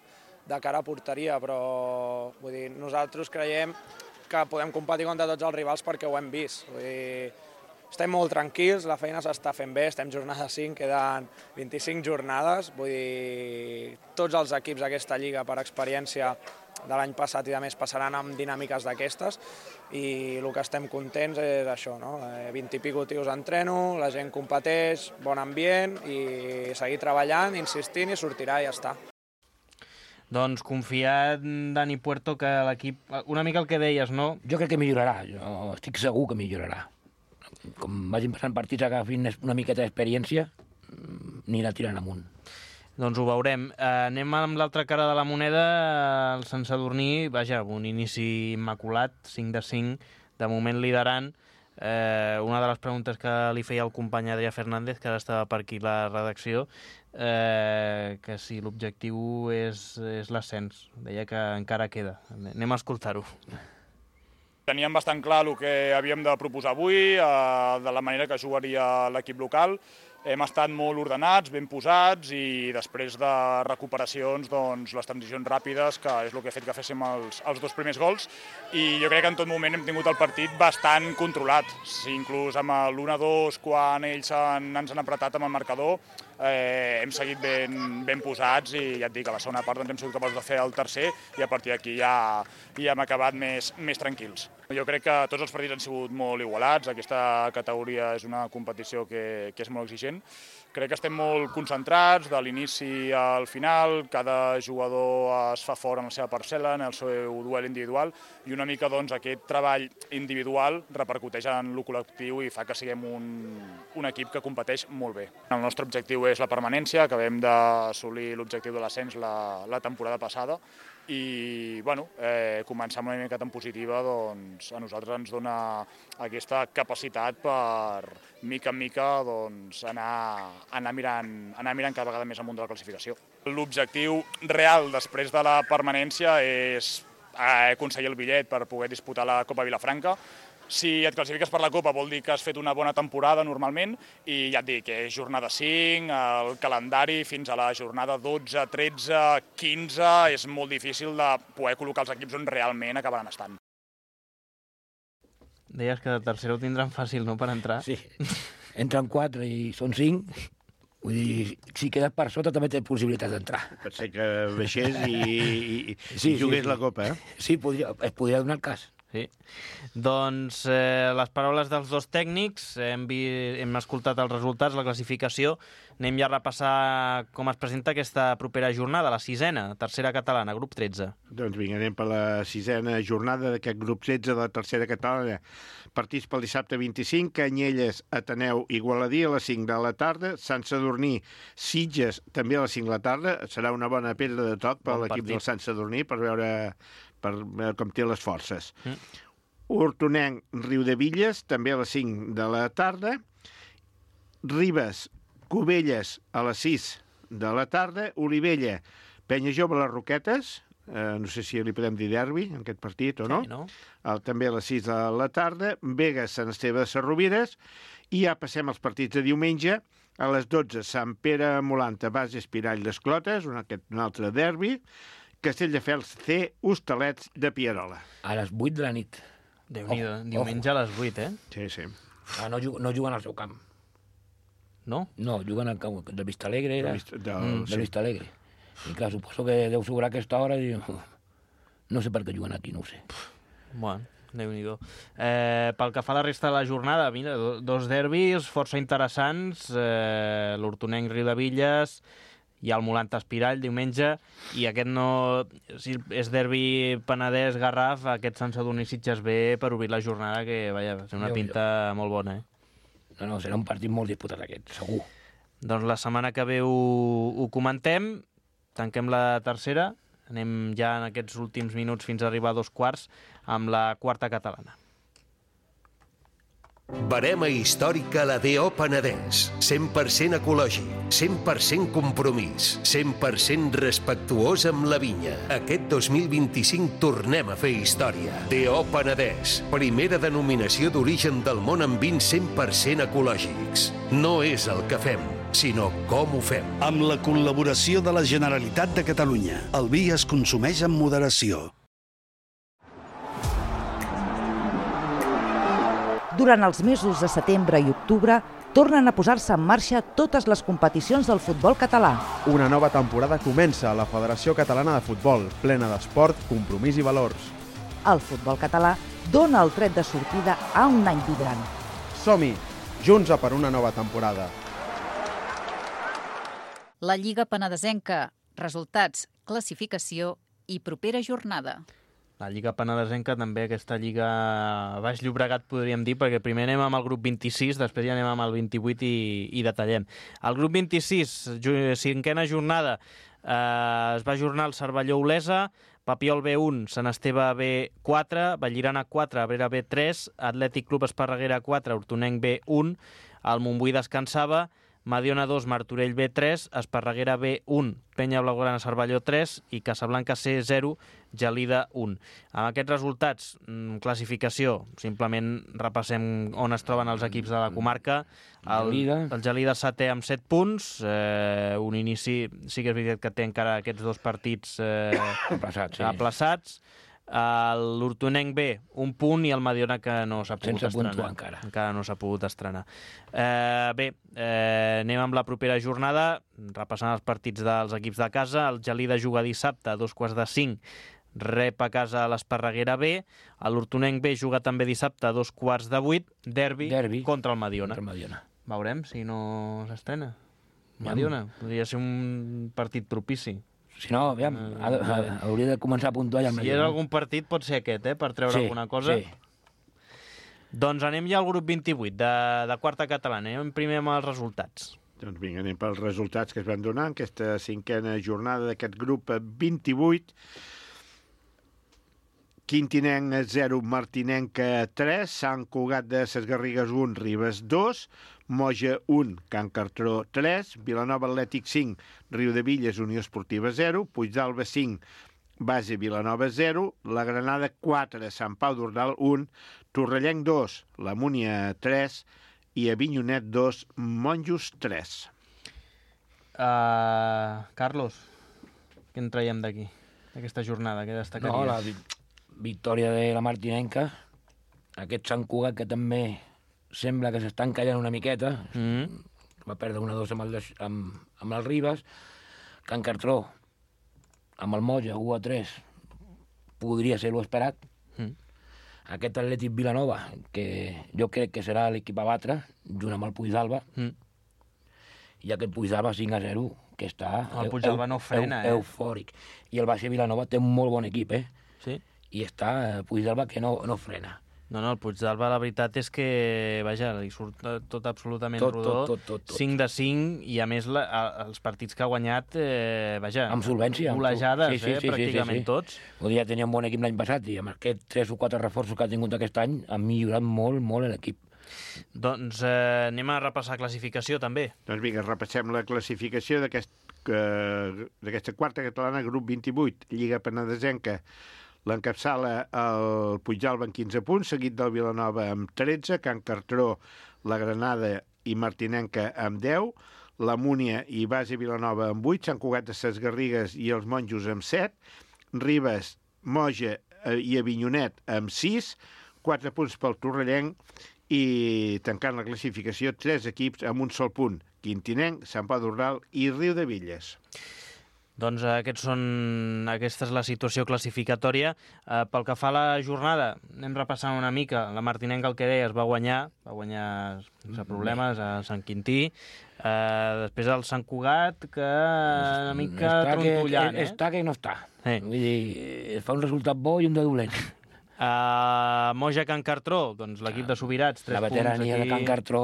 de cara a porteria, però vull dir, nosaltres creiem que podem competir contra tots els rivals perquè ho hem vist. Vull dir, estem molt tranquils, la feina s'està fent bé, estem jornada 5, queden 25 jornades, vull dir, tots els equips d'aquesta lliga per experiència de l'any passat i de més passaran amb dinàmiques d'aquestes i el que estem contents és això, no? 20 i pico tios entreno, la gent competeix, bon ambient i seguir treballant, insistint i sortirà i ja està. Doncs confiat, Dani Puerto, que l'equip... Una mica el que deies, no? Jo crec que millorarà, jo estic segur que millorarà. Com vagin passant partits, agafin una miqueta d'experiència, anirà tirant amunt. Doncs ho veurem. Anem amb l'altra cara de la moneda, el Sant Sadurní, vaja, un inici immaculat, 5 de 5, de moment liderant. Una de les preguntes que li feia el company Adrià Fernández, que ara estava per aquí la redacció, que si l'objectiu és l'ascens. Deia que encara queda. Anem a escoltar-ho. Teníem bastant clar el que havíem de proposar avui, de la manera que jugaria l'equip local. Hem estat molt ordenats, ben posats i després de recuperacions, doncs, les transicions ràpides, que és el que ha fet que féssim els dos primers gols. I jo crec que en tot moment hem tingut el partit bastant controlat. Inclús amb l'1-2, quan ells ens han apretat amb el marcador, hem seguit ben posats i ja et dic, a la segona part doncs, hem sigut capaços de fer el tercer i a partir d'aquí ja hem acabat més tranquils. Jo crec que tots els partits han sigut molt igualats, aquesta categoria és una competició que és molt exigent. Crec que estem molt concentrats de l'inici al final, cada jugador es fa fort en la seva parcel·la, en el seu duel individual i una mica doncs, aquest treball individual repercuteix en el col·lectiu i fa que siguem un equip que competeix molt bé. El nostre objectiu és la permanència, acabem d'assolir l'objectiu de l'ascens la temporada passada i començar amb una mica tan positiva doncs, a nosaltres ens dona aquesta capacitat per mica en mica doncs, anar mirant cada vegada més amunt de la classificació. L'objectiu real després de la permanència és aconseguir el bitllet per poder disputar la Copa Vilafranca. Si et classifiques per la Copa vol dir que has fet una bona temporada normalment i ja et dic, és jornada 5, el calendari fins a la jornada 12, 13, 15, és molt difícil de poder col·locar els equips on realment acabaran estant. Deies que de tercera ho tindran fàcil, no?, per entrar. Sí, entren 4 i són 5. Vull dir, si quedes per sota també tens possibilitats d'entrar. Pot ser que baixés i jugués la Copa, eh? Sí, es podria donar el cas. Sí. Doncs les paraules dels dos tècnics, hem escoltat els resultats, la classificació. Anem ja a repassar com es presenta aquesta propera jornada, la 6ena, tercera catalana, grup 13. Doncs vinga, anem per la 6ena jornada d'aquest grup 13 de la tercera catalana. Partits pel dissabte 25, Canyelles, Ateneu, Igualadí a les 5 de la tarda, Sant Sadurní, Sitges, també a les 5 de la tarda. Serà una bona pedra de toc per l'equip del Sant Sadurní per veure com té les forces. Hortonenc, Riudevilles, també a les 5 de la tarda. Ribes, Cubelles, a les 6 de la tarda. Olivella, Penya Jove, les Roquetes. No sé si li podem dir derbi en aquest partit o no. Sí, no? També a les 6 de la tarda. Begues, Sant Esteve de Sarrovires. I ja passem als partits de diumenge. A les 12, Sant Pere Molanta, Bas Espirall d'Esclotes, un altre derbi. Castelldefels C, Hostalets de Pierola. A les 8 de la nit. Déu-n'hi-do, diumenge a les 8, Sí, sí. No juguen al seu camp. No? No, juguen al camp del Vistalegre. Del Vistalegre. I clar, suposo que deu sobrar aquesta hora i no sé per què juguen aquí, no ho sé. Bueno, Déu-n'hi-do. Pel que fa a la resta de la jornada, mira, dos derbis força interessants. L'Hortonenc Riudevilles, hi ha el Molant Espirall diumenge, i aquest no... Si és derbi Penedès-Garraf, aquest Sant Sadurní Sitges B per obrir la jornada, que vaja, és una pinta molt bona, No, serà un partit molt disputat aquest, segur. Doncs la setmana que ve ho comentem, tanquem la tercera, anem ja en aquests últims minuts fins a arribar a 2/4 amb la quarta catalana. Barema històrica la D.O. Penedès. 100% ecològic, 100% compromís, 100% respectuós amb la vinya. Aquest 2025 tornem a fer història. D.O. Penedès. Primera denominació d'origen del món amb vins 100% ecològics. No és el que fem, sinó com ho fem. Amb la col·laboració de la Generalitat de Catalunya, el vi es consumeix amb moderació. Durant els mesos de setembre i octubre, tornen a posar-se en marxa totes les competicions del futbol català. Una nova temporada comença a la Federació Catalana de Futbol, plena d'esport, compromís i valors. El futbol català dona el tret de sortida a un any vibrant. Som-hi, junts a per una nova temporada. La Lliga Penedesenca. Resultats, classificació i propera jornada. La Lliga Penedesenca, també aquesta Lliga Baix Llobregat, podríem dir, perquè primer anem amb el grup 26, després ja anem amb el 28 i detallem. El grup 26, cinquena jornada, es va ajornar el Cervelló-Olesa, Papiol B1, Sant Esteve B4, Vallirana 4, Abrera B3, Atlètic Club Esparreguera 4, Hortonenc B1, el Montbui descansava, Mediona 2, Martorell B3, Esparreguera B1, Penya Blaugrana Cervelló 3 i Casablanca C0, Gelida 1. Amb aquests resultats, classificació, simplement repassem on es troben els equips de la comarca. El Gelida setè amb 7 punts, un inici, sí que és veritat que té encara aquests dos partits aplaçats. L'Hortonenc B, un punt, i el Mediona, que no s'ha pogut estrenar. Encara no s'ha pogut estrenar. Bé, anem amb la propera jornada, repassant els partits dels equips de casa. El Gelida juga dissabte a 4:45, rep a casa a l'Esparreguera B. L'Hortonenc B juga també dissabte a 7:45, derbi contra el Mediona. Veurem si no s'estrena. Mediona, podria ser un partit propici. Si no, aviam, hauria de començar a puntuar ja el Mediona. Si és algun partit, pot ser aquest, per treure alguna cosa. Sí. Doncs anem ja al grup 28, de quarta catalana. Anem primer amb els resultats. Doncs vinga, anem pels resultats que es van donar en aquesta cinquena jornada d'aquest grup 28. Quintinenc 0, Martinenc 3, Sant Cugat de Ses Garrigues 1, Ribes 2, Moja 1, Can Cartró 3, Vilanova Atlètic 5, Riudevilles Unió Esportiva 0, Puigdàlber 5, Base Vilanova 0, La Granada 4, Sant Pau d'Ordal 1, Torrellenc 2, La Múnia 3 i Avinyonet 2, Monjos 3. Carlos, què en traiem d'aquí, d'aquesta jornada? Què destacaries? No, la victòria de la Martinenca, aquest Sant Cugat que també sembla que s'està encallant una miqueta, va perdre 1-2 amb el Ribes, Can Cartró amb el Moja 1-3 podria ser l'esperat. Aquest Atlètic Vilanova, que jo crec que serà l'equip a batre, junt amb el Puigdàlber, i aquest Puigdàlber 5-0, que està el Puigdàlber no frena, eufòric. I el Baixa Vilanova té un molt bon equip, Sí. I està Puigdàlber que no frena. No, el Puigdàlber, la veritat és que, vaja, li surt tot absolutament rodó. Tot. 5-5, i a més els partits que ha guanyat, vaja... Amb solvència. Golejades, pràcticament tots. Vull dir, ja tenia un bon equip l'any passat, i amb aquests 3 o 4 reforços que ha tingut aquest any, ha millorat molt, molt l'equip. Doncs anem a repassar classificació, també. Doncs vinga, repassem la classificació d'aquesta quarta catalana, grup 28, Lliga Penedesenca. L'encapçala el Puigdàlber amb 15 punts, seguit del Vilanova amb 13, Can Cartró, La Granada i Martinenca amb 10, la Múnia i Base Vilanova amb 8, Sant Cugat de Ses Garrigues i els Monjos amb 7, Ribes, Moja i Avinyonet amb 6, 4 punts pel Torrellenc i tancant la classificació 3 equips amb un sol punt, Quintinenc, Sant Pau d'Ordal i Riudevilles. Doncs aquesta és la situació classificatòria. Pel que fa a la jornada, anem repassant una mica. La Martinenca, el que deies, va guanyar sense problemes a Sant Quintí. Després el Sant Cugat, que una mica trontollant. Està que no està. Vull dir, fa un resultat bo i un de dolent. Moja Can Cartró, doncs l'equip de Subirats, 3 punts aquí. La veterania de Can Cartró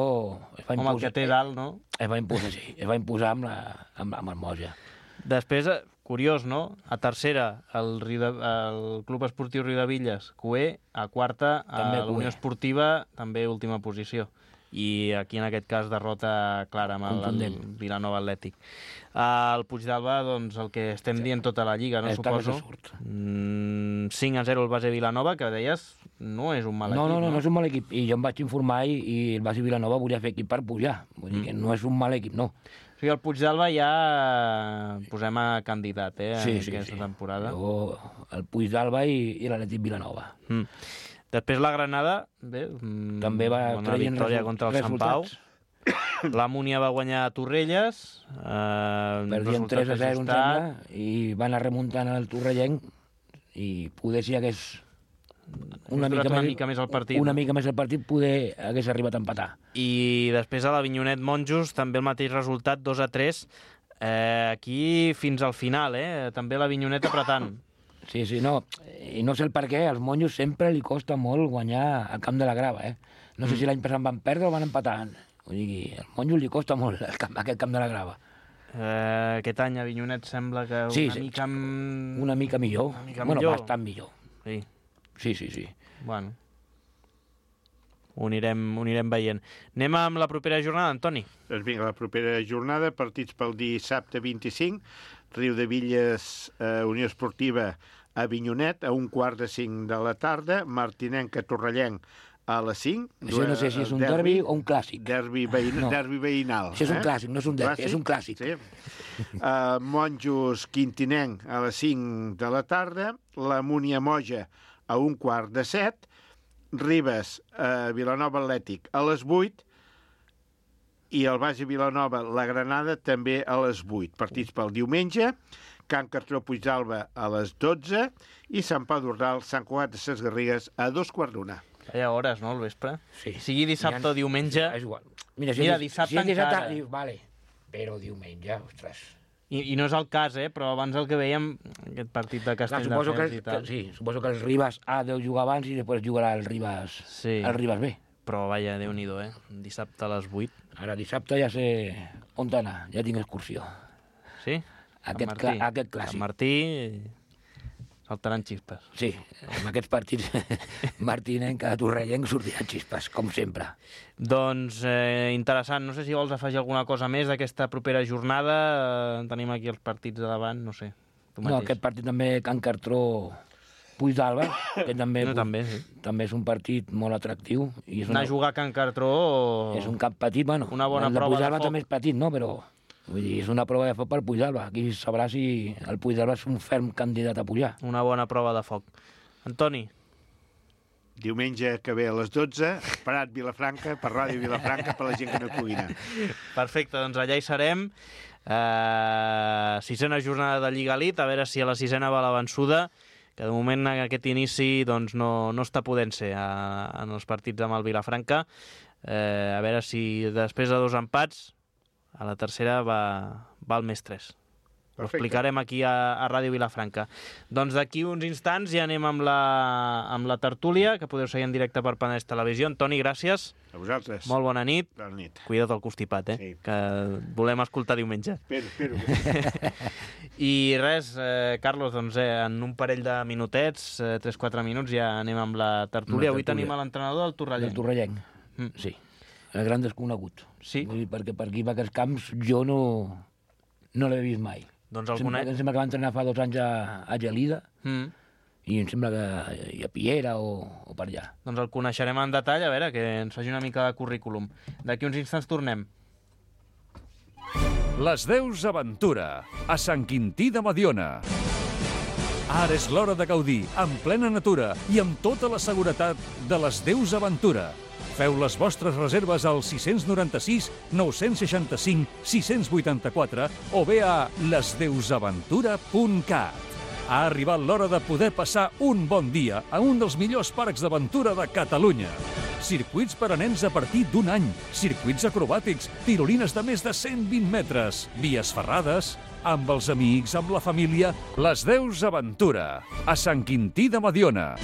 es va imposar. Home, el que té dalt, no? Es va imposar amb el Moja. Després, curiós, no? A tercera, el Club Esportiu Riudevilles, QE, a quarta, a l'Unió Esportiva, també última posició. I aquí, en aquest cas, derrota clara amb el Vilanova Atlètic. El Puigdàlber, doncs, el que estem dient tota la Lliga, no suposo? 5-0 el base Vilanova, que deies, no és un mal equip. No és un mal equip. I jo em vaig informar i el base Vilanova volia fer equip per pujar. Vull dir que no és un mal equip, no. O sigui, el Puigdàlber ja posem a candidat, aquesta temporada. El Puigdàlber i l'Atlètic Vilanova. Després la Granada, també va traient victòria contra el Sant Pau. La Múnia va guanyar a Torrelles. Perdien 3-0, em sembla, i van anar remuntant el Torrellenc i poder si hagués una mica més el partit poder hagués arribat a empatar. I després a l'Avinyonet Monjos també el mateix resultat, 2-3. Aquí fins al final, també l'Avinyonet apretant. Sí, no. I no sé el per què, als monjos sempre li costa molt guanyar al Camp de la Grava, No sé si l'any passat van perdre o van empatar. Vull dir, als monjos li costa molt aquest Camp de la Grava. Aquest any Avinyonet sembla que una mica millor. Bueno, bastant millor. Sí. Sí. Bueno, ho anirem veient. Anem amb la propera jornada, Antoni. Doncs vinga, la propera jornada, partits pel dissabte 25, Riudevilles, Unió Esportiva, Avinyonet, a 4:45 de la tarda, Martinenca, Torrellenc, a les 5. Això no sé si és un derbi o un clàssic. Derbi veïnal. Això és un clàssic, no és un derbi, és un clàssic. Sí. Monjos, Quintinenc, a les 5 de la tarda, la Múnia Moja, a 6:15, Ribes, Vilanova Atlètic, a les 8, i el base Vilanova, la Granada, també a les 8. Partits pel diumenge, Can Cartró Puigdàlber a les 12 i Sant Pau d'Ordal, Sant Cugat de Ses Garrigues a 2:15. Hi ha hores, no, al vespre? Sí. Sigui dissabte o diumenge... És igual. Mira, dissabte encara... Vale, però diumenge, ostres... I no és el cas, però abans el que veiem, aquest partit de Castelldefels i tal... Sí, suposo que el Ribas A deu jugar abans i després jugarà el Ribas B. Però, vaja, Déu-n'hi-do, Dissabte a les 8. Ara, dissabte ja sé on anar, ja tinc excursió. Sí? Aquest clàssic. Sant Martí... saltaran xispes. Sí, amb aquests partits Martinenca, Torrellenc sortiran xispes, com sempre. Doncs interessant. No sé si vols afegir alguna cosa més d'aquesta propera jornada. Tenim aquí els partits de davant, no sé. No, aquest partit també, Can Cartró Puigdàlber, que també és un partit molt atractiu. Anar a jugar a Can Cartró... És un camp petit, bueno. Una bona prova de foc. El Puigdàlber també és petit, no? Però... Vull dir, és una prova de foc per Puigdàlber. Aquí sabrà si el Puigdàlber és un ferm candidat a pujar. Una bona prova de foc. Antoni? Diumenge que ve a les 12, Parat Vilafranca, per Ràdio Vilafranca, per la gent que no pugui anar. Perfecte, doncs allà hi serem. 6a jornada de Lliga Elite, a veure si a la 6a va la vençuda, que de moment aquest inici doncs, no està podent ser en els partits amb el Vilafranca. A veure si després de 2 empats a la tercera va el més 3. Ho explicarem aquí a Ràdio Vilafranca. Doncs d'aquí uns instants ja anem amb la tertúlia, que podeu seguir en directe per Penedès Televisió. Antoni, gràcies. A vosaltres. Molt bona nit. Bona nit. Cuida't el constipat, Sí. Que volem escoltar diumenge. Espero. I res, Carlos, doncs en un parell de minutets, 3-4 minuts, ja anem amb la tertúlia. Avui tenim l'entrenador del Torrellenc. Del Torrellenc, sí. El gran desconegut. Sí. Vull dir, perquè per aquí, per aquests camps, jo no l'he vist mai. Doncs em sembla que va entrenar fa 2 anys a Gelida i em sembla que a Piera o per allà. Doncs el coneixerem en detall, a veure, que ens faci una mica de currículum. D'aquí uns instants tornem. Les Deus Aventura, a Sant Quintí de Mediona. Ara és l'hora de gaudir, en plena natura i amb tota la seguretat de les Deus Aventura. Feu les vostres reserves al 696 965 684 o bé a lesdeusaventura.cat. Ha arribat l'hora de poder passar un bon dia a un dels millors parcs d'aventura de Catalunya. Circuits per a nens a partir d'un any, circuits acrobàtics, tirolines de més de 120 metres, vies ferrades, amb els amics, amb la família. Les Deus Aventura, a Sant Quintí de Mediona.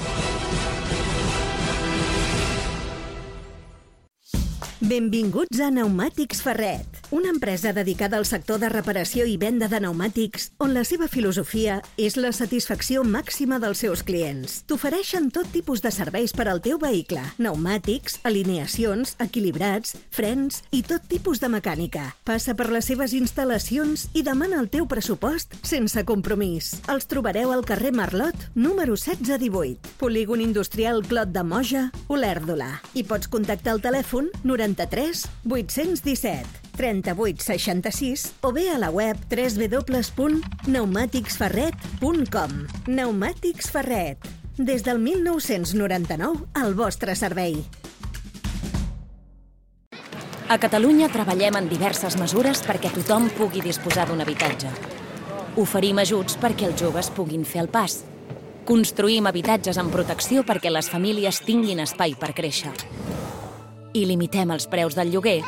Benvinguts a Pneumàtics Ferret, una empresa dedicada al sector de reparació i venda de pneumàtics, on la seva filosofia és la satisfacció màxima dels seus clients. T'ofereixen tot tipus de serveis per al teu vehicle: pneumàtics, alineacions, equilibrats, frens i tot tipus de mecànica. Passa per les seves instal·lacions i demana el teu pressupost sense compromís. Els trobareu al carrer Marlot, número 1618, Polígon Industrial Clot de Moja, Olèrdola. I pots contactar al telèfon 93 817 38 66 o bé a la web www.pneumaticsferret.com. Pneumàtics Ferret. Des del 1999, al vostre servei. A Catalunya treballem en diverses mesures perquè tothom pugui disposar d'un habitatge. Oferim ajuts perquè els joves puguin fer el pas. Construïm habitatges amb protecció perquè les famílies tinguin espai per créixer. I limitem els preus del lloguer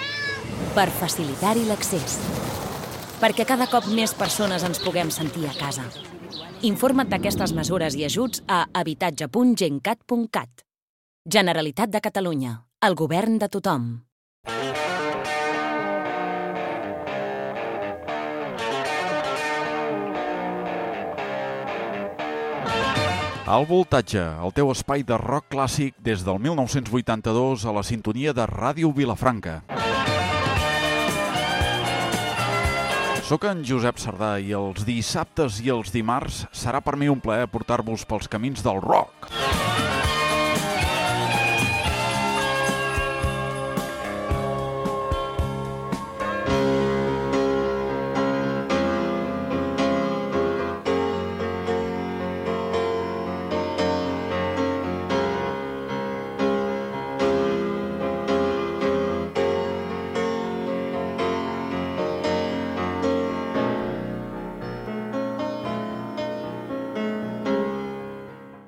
per facilitar-hi l'accés. Perquè cada cop més persones ens puguem sentir a casa. Informa't d'aquestes mesures i ajuts a habitatge.gencat.cat. Generalitat de Catalunya. El govern de tothom. Al Voltatge, el teu espai de rock clàssic des del 1982 a la sintonia de Ràdio Vilafranca. Soc en Josep Sardà i els dissabtes i els dimarts serà per mi un plaer portar-vos pels camins del rock.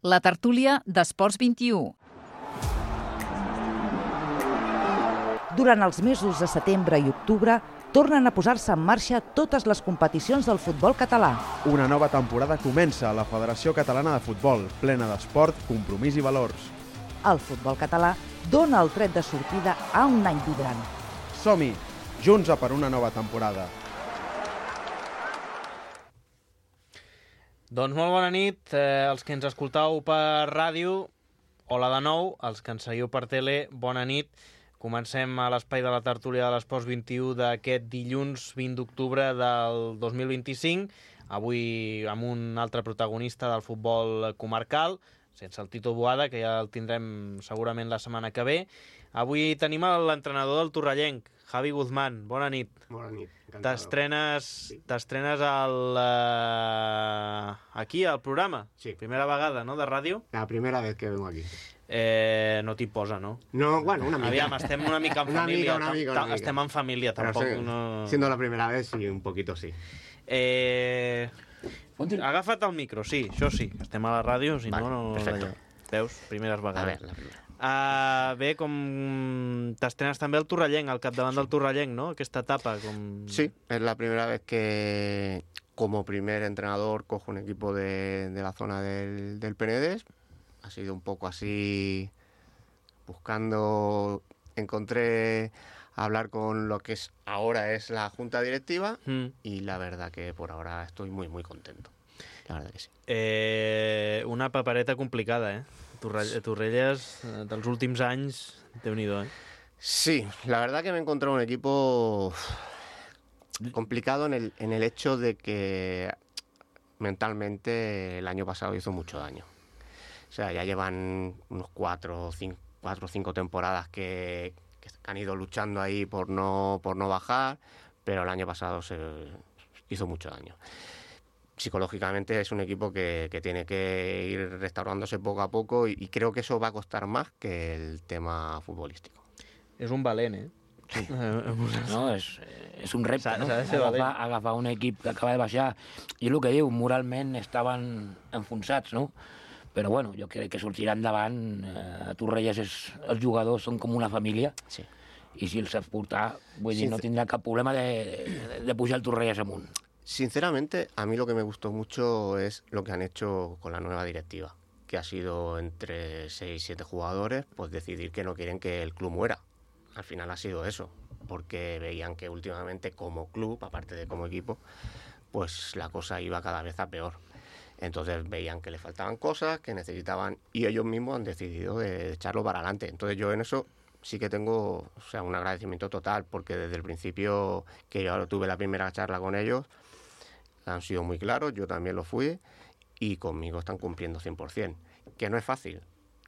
La tertúlia d'Esports 21. Durant els mesos de setembre i octubre tornen a posar-se en marxa totes les competicions del futbol català. Una nova temporada comença a la Federació Catalana de Futbol, plena d'esport, compromís i valors. El futbol català dona el tret de sortida a un any vibrant. Som-hi, junts a per una nova temporada. Doncs molt bona nit, els que ens escoltau per ràdio, hola de nou, els que ens seguiu per tele, bona nit. Comencem a l'espai de la tertúlia de l'Esports 21 d'aquest dilluns 20 d'octubre del 2025, avui amb un altre protagonista del futbol comarcal, sense el Tito Boada, que ja el tindrem segurament la setmana que ve. Avui tenim l'entrenador del Torrellenc, Javi Guzmán, bona nit. Bona nit. T'estrenes aquí, al programa? Sí. Primera vegada, no?, de ràdio? La primera vez que vengo aquí. No t'hi posa, no? No, bueno, una mica. Aviam, estem una mica en família. Una mica. Estem en família, tampoc. Siendo la primera vez, sí, un poquito sí. Agafa't el micro, sí, això sí. Estem a la ràdio, si vale, no... Perfecto. Veus? Primeres vegades. A ver, la primera. Bé, com t'estrenes també al Torrellenc, al capdavant del Torrellenc, ¿no? Aquesta etapa. Sí, es la primera vez que como primer entrenador cojo un equipo de la zona del Penedès. Ha sido un poco así, buscando, encontré hablar con lo que ahora es la junta directiva y la verdad que por ahora estoy muy, muy contento. La verdad que sí. Una papereta complicada, eh? Torrelles, dels últims anys, Déu-n'hi-do, eh? Sí, la verdad que me he encontrado un equipo complicado en el hecho de que mentalmente el año pasado hizo mucho daño. O sea, ya llevan unos 4 o 5 temporadas que han ido luchando ahí por no bajar, pero el año pasado se hizo mucho daño. Psicológicamente es un equipo que tiene que ir restaurándose poco a poco y creo que eso va a costar más que el tema futbolístico. És un valent, Sí. No, és un repte, no? S'ha de ser valent. Agafar un equip que acaba de baixar. I el que diu, moralment estaven enfonsats, no? Però bueno, jo crec que sortirà endavant. A Torrelles els jugadors són com una família. Sí. I si els saps portar, vull dir, no tindrà cap problema de pujar el Torrelles amunt. Sinceramente, a mí lo que me gustó mucho es lo que han hecho con la nueva directiva, que ha sido entre 6 y 7 jugadores, pues decidir que no quieren que el club muera. Al final ha sido eso, porque veían que últimamente como club, aparte de como equipo, pues la cosa iba cada vez a peor. Entonces veían que le faltaban cosas, que necesitaban, y ellos mismos han decidido de echarlo para adelante. Entonces yo en eso sí que tengo, o sea, un agradecimiento total, porque desde el principio que yo tuve la primera charla con ellos, han sido muy claros, yo también lo fui, y conmigo están cumpliendo 100%. Que no es fácil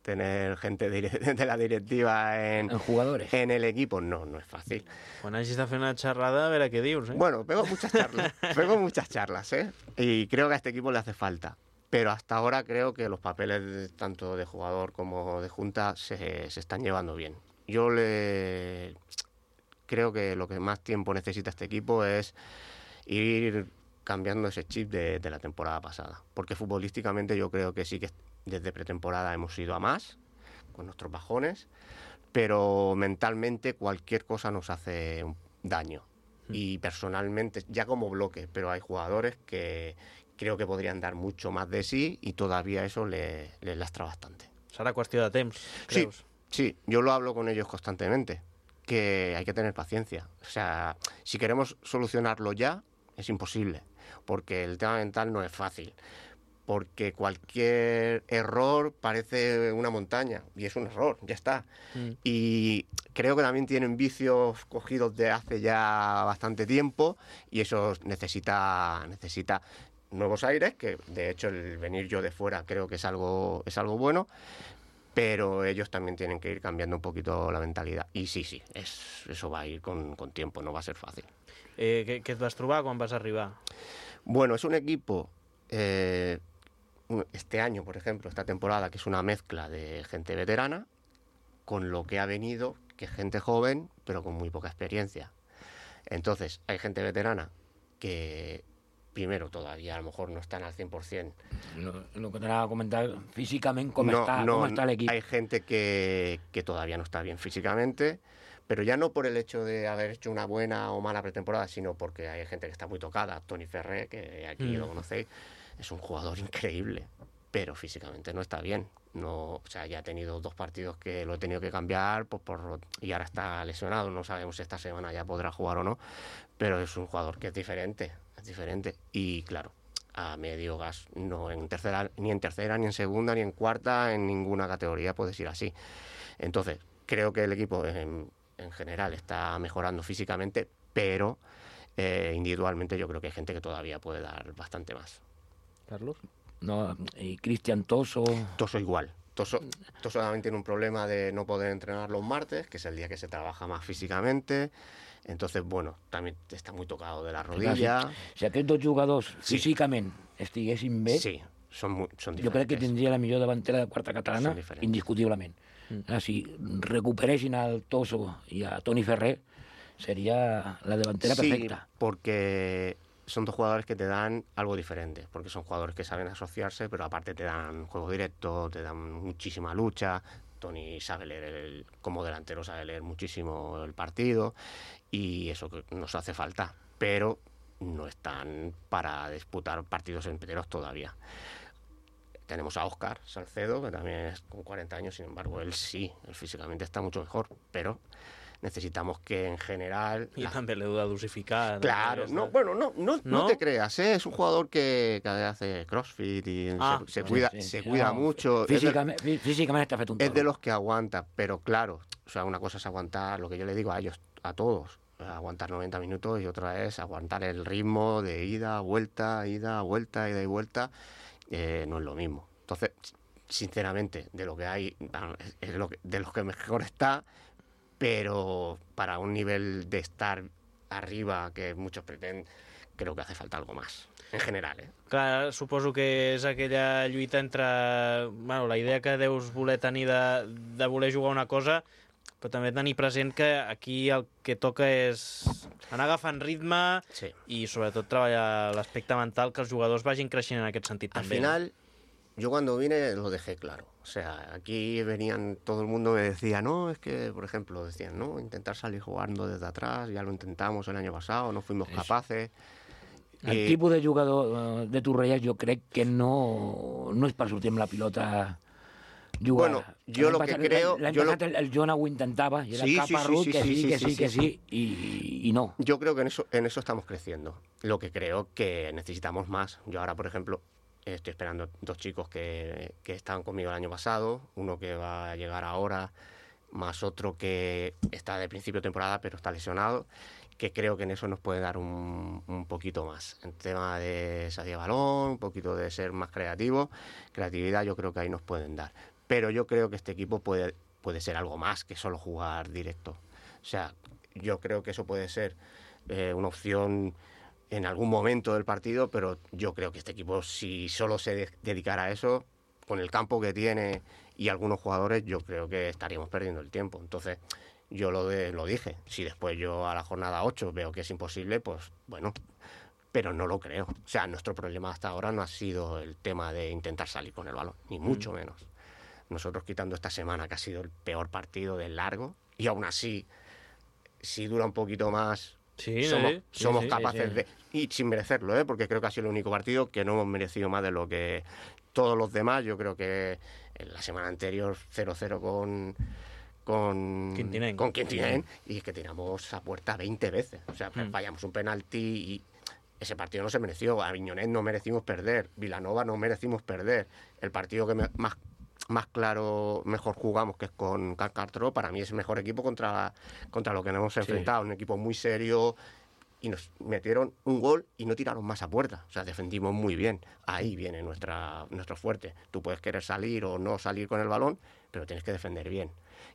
tener gente de la directiva en jugadores en el equipo, no es fácil. Quan hagis de fer una xerrada, a veure què dius, Bueno, pego muchas charlas, y creo que a este equipo le hace falta. Pero hasta ahora creo que los papeles tanto de jugador como de junta se están llevando bien. Yo creo que lo que más tiempo necesita este equipo es ir cambiando ese chip de la temporada pasada. Porque futbolísticamente yo creo que sí que desde pretemporada hemos ido a más, con nuestros bajones, pero mentalmente cualquier cosa nos hace daño. Y personalmente, ya como bloque, pero hay jugadores que creo que podrían dar mucho más de sí y todavía eso les lastra bastante. Serà qüestió de temps, creus? Sí, yo lo hablo con ellos constantemente, que hay que tener paciencia. O sea, si queremos solucionarlo ya, es imposible, porque el tema mental no es fácil, porque cualquier error parece una montaña, y es un error, ya está. Y creo que también tienen vicios cogidos de hace ya bastante tiempo, y eso necesita nuevos aires, que de hecho el venir yo de fuera creo que es algo bueno, pero ellos también tienen que ir cambiando un poquito la mentalidad. Y sí, eso va a ir con tiempo, no va a ser fácil. Què et vas trobar quan vas arribar? Bueno, es un equipo, este año, por ejemplo, esta temporada, que es una mezcla de gente veterana, con lo que ha venido, que es gente joven, pero con muy poca experiencia. Entonces, hay gente veterana que primero todavía a lo mejor no están al 100%. Lo que te anava a comentar, físicament, com està l'equip. Hay gente que todavía no está bien físicamente, pero ya no por el hecho de haber hecho una buena o mala pretemporada, sino porque hay gente que está muy tocada. Toni Ferrer, que aquí lo conocéis, es un jugador increíble, pero físicamente no está bien. No, o sea, ya ha tenido 2 partidos que lo he tenido que cambiar y ahora está lesionado. No sabemos si esta semana ya podrá jugar o no, pero es un jugador que es diferente. Y claro, a medio gas, no en tercera, ni en segunda, ni en cuarta, en ninguna categoría puedes ir así. Entonces, creo que el equipo en general está mejorando físicamente, pero individualmente yo creo que hay gente que todavía puede dar bastante más. Carlos. No, y Cristian Toso. Toso igual. Toso también tiene un problema de no poder entrenar los martes, que es el día que se trabaja más físicamente. Entonces, bueno, també està muy tocado de la rodilla. Si aquests 2 jugadors físicament estiguessin bé, són diferents. Jo crec que tindria la millor davantera de quarta catalana, indiscutiblement. Si recuperessin al Toso i a Toni Ferrer, seria la davantera perfecta. Sí, porque son 2 jugadores que te dan algo diferente, porque son jugadores que saben asociarse, pero aparte te dan juego directo, te dan muchísima lucha. Toni sabe leer, como delantero sabe leer muchísimo el partido, y eso que nos hace falta, pero no están para disputar partidos enteros todavía. Tenemos a Óscar Salcedo, que también es con 40 años, sin embargo, él físicamente está mucho mejor, pero necesitamos que en general... I també l'heu de dosificar. Claro, no te creas, es un jugador que hace crossfit y se cuida mucho. Físicamente está fet un todo. Es de los que aguanta, pero claro, o sea, una cosa es aguantar, lo que yo le digo a ellos, a todos, aguantar 90 minutos, y otra es aguantar el ritmo de ida, vuelta, ida y vuelta, no es lo mismo. Entonces, sinceramente, de lo que hay, es de los que mejor está, pero para un nivel de estar arriba que muchos pretenden, creo que hace falta algo más, en general. Clar, suposo que és aquella lluita entre la idea que deus voler tenir de voler jugar una cosa Però també tenir present que aquí el que toca és anar agafant ritme i sobretot treballar l'aspecte mental, que els jugadors vagin creixent en aquest sentit Al també. final, yo cuando vine lo dejé claro. O sea, aquí venían, todo el mundo me decía, no, es que, por ejemplo, decían, no, intentar salir jugando desde atrás, ya lo intentamos el año pasado, no fuimos capaces. El tipus de jugador de Torrelles jo crec que no és per sortir amb la pilota jugada. Bueno, yo lo que creo... L'any passat el Jona ho intentava, i era caparrut, que sí, y no. Yo creo que en eso estamos creciendo. Lo que creo que necesitamos más. Yo ahora, por ejemplo, estoy esperando 2 chicos que estaban conmigo el año pasado, uno que va a llegar ahora, más otro que está de principio de temporada pero está lesionado, que creo que en eso nos puede dar un poquito más. En tema de salida de balón, un poquito de ser más creatividad, yo creo que ahí nos pueden dar. Pero yo creo que este equipo puede ser algo más que solo jugar directo. O sea, yo creo que eso puede ser una opción en algún momento del partido, pero yo creo que este equipo, si solo se dedicara a eso, con el campo que tiene y algunos jugadores, yo creo que estaríamos perdiendo el tiempo. Entonces, yo lo dije. Si después yo a la jornada 8 veo que es imposible, pues bueno, pero no lo creo. O sea, nuestro problema hasta ahora no ha sido el tema de intentar salir con el balón, ni mucho menos. Nosotros, quitando esta semana, que ha sido el peor partido del largo, y aún así, si dura un poquito más, somos capaces de... Y sin merecerlo, porque creo que ha sido el único partido que no hemos merecido más de lo que todos los demás. Yo creo que en la semana anterior 0-0 con Quintinén, y es que tiramos a puerta 20 veces. O sea, fallamos un penalti y ese partido no se mereció. A Aviñonet no merecimos perder, Vilanova no merecimos perder. El partido que más claro, mejor jugamos, que es con Carcartró, para mí es el mejor equipo contra lo que nos hemos enfrentado. Un equipo muy serio, y nos metieron un gol y no tiraron más a puerta. O sea, defendimos muy bien. Ahí viene nuestro fuerte. Tú puedes querer salir o no salir con el balón, pero tienes que defender bien.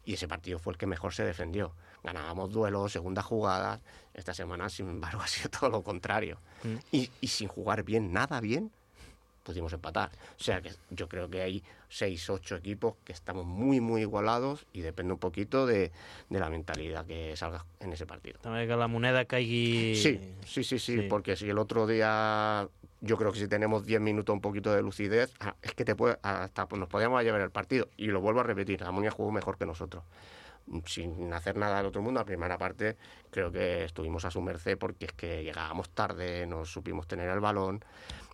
Y ese partido fue el que mejor se defendió. Ganábamos duelos, segundas jugadas. Esta semana, sin embargo, ha sido todo lo contrario. Y sin jugar bien, nada bien, pudimos empatar. O sea, que yo creo que hay 6, 8 equipos que estamos muy, muy igualados, y depende un poquito de la mentalidad que salga en ese partido. També que la moneda caigui... Sí, porque si el otro día, yo creo que si tenemos 10 minutos un poquito de lucidez, es que hasta nos podíamos llevar el partido. Y lo vuelvo a repetir, la Monia jugó mejor que nosotros. Sin hacer nada del otro mundo, la primera parte creo que estuvimos a su merced, porque es que llegábamos tarde, no supimos tener el balón.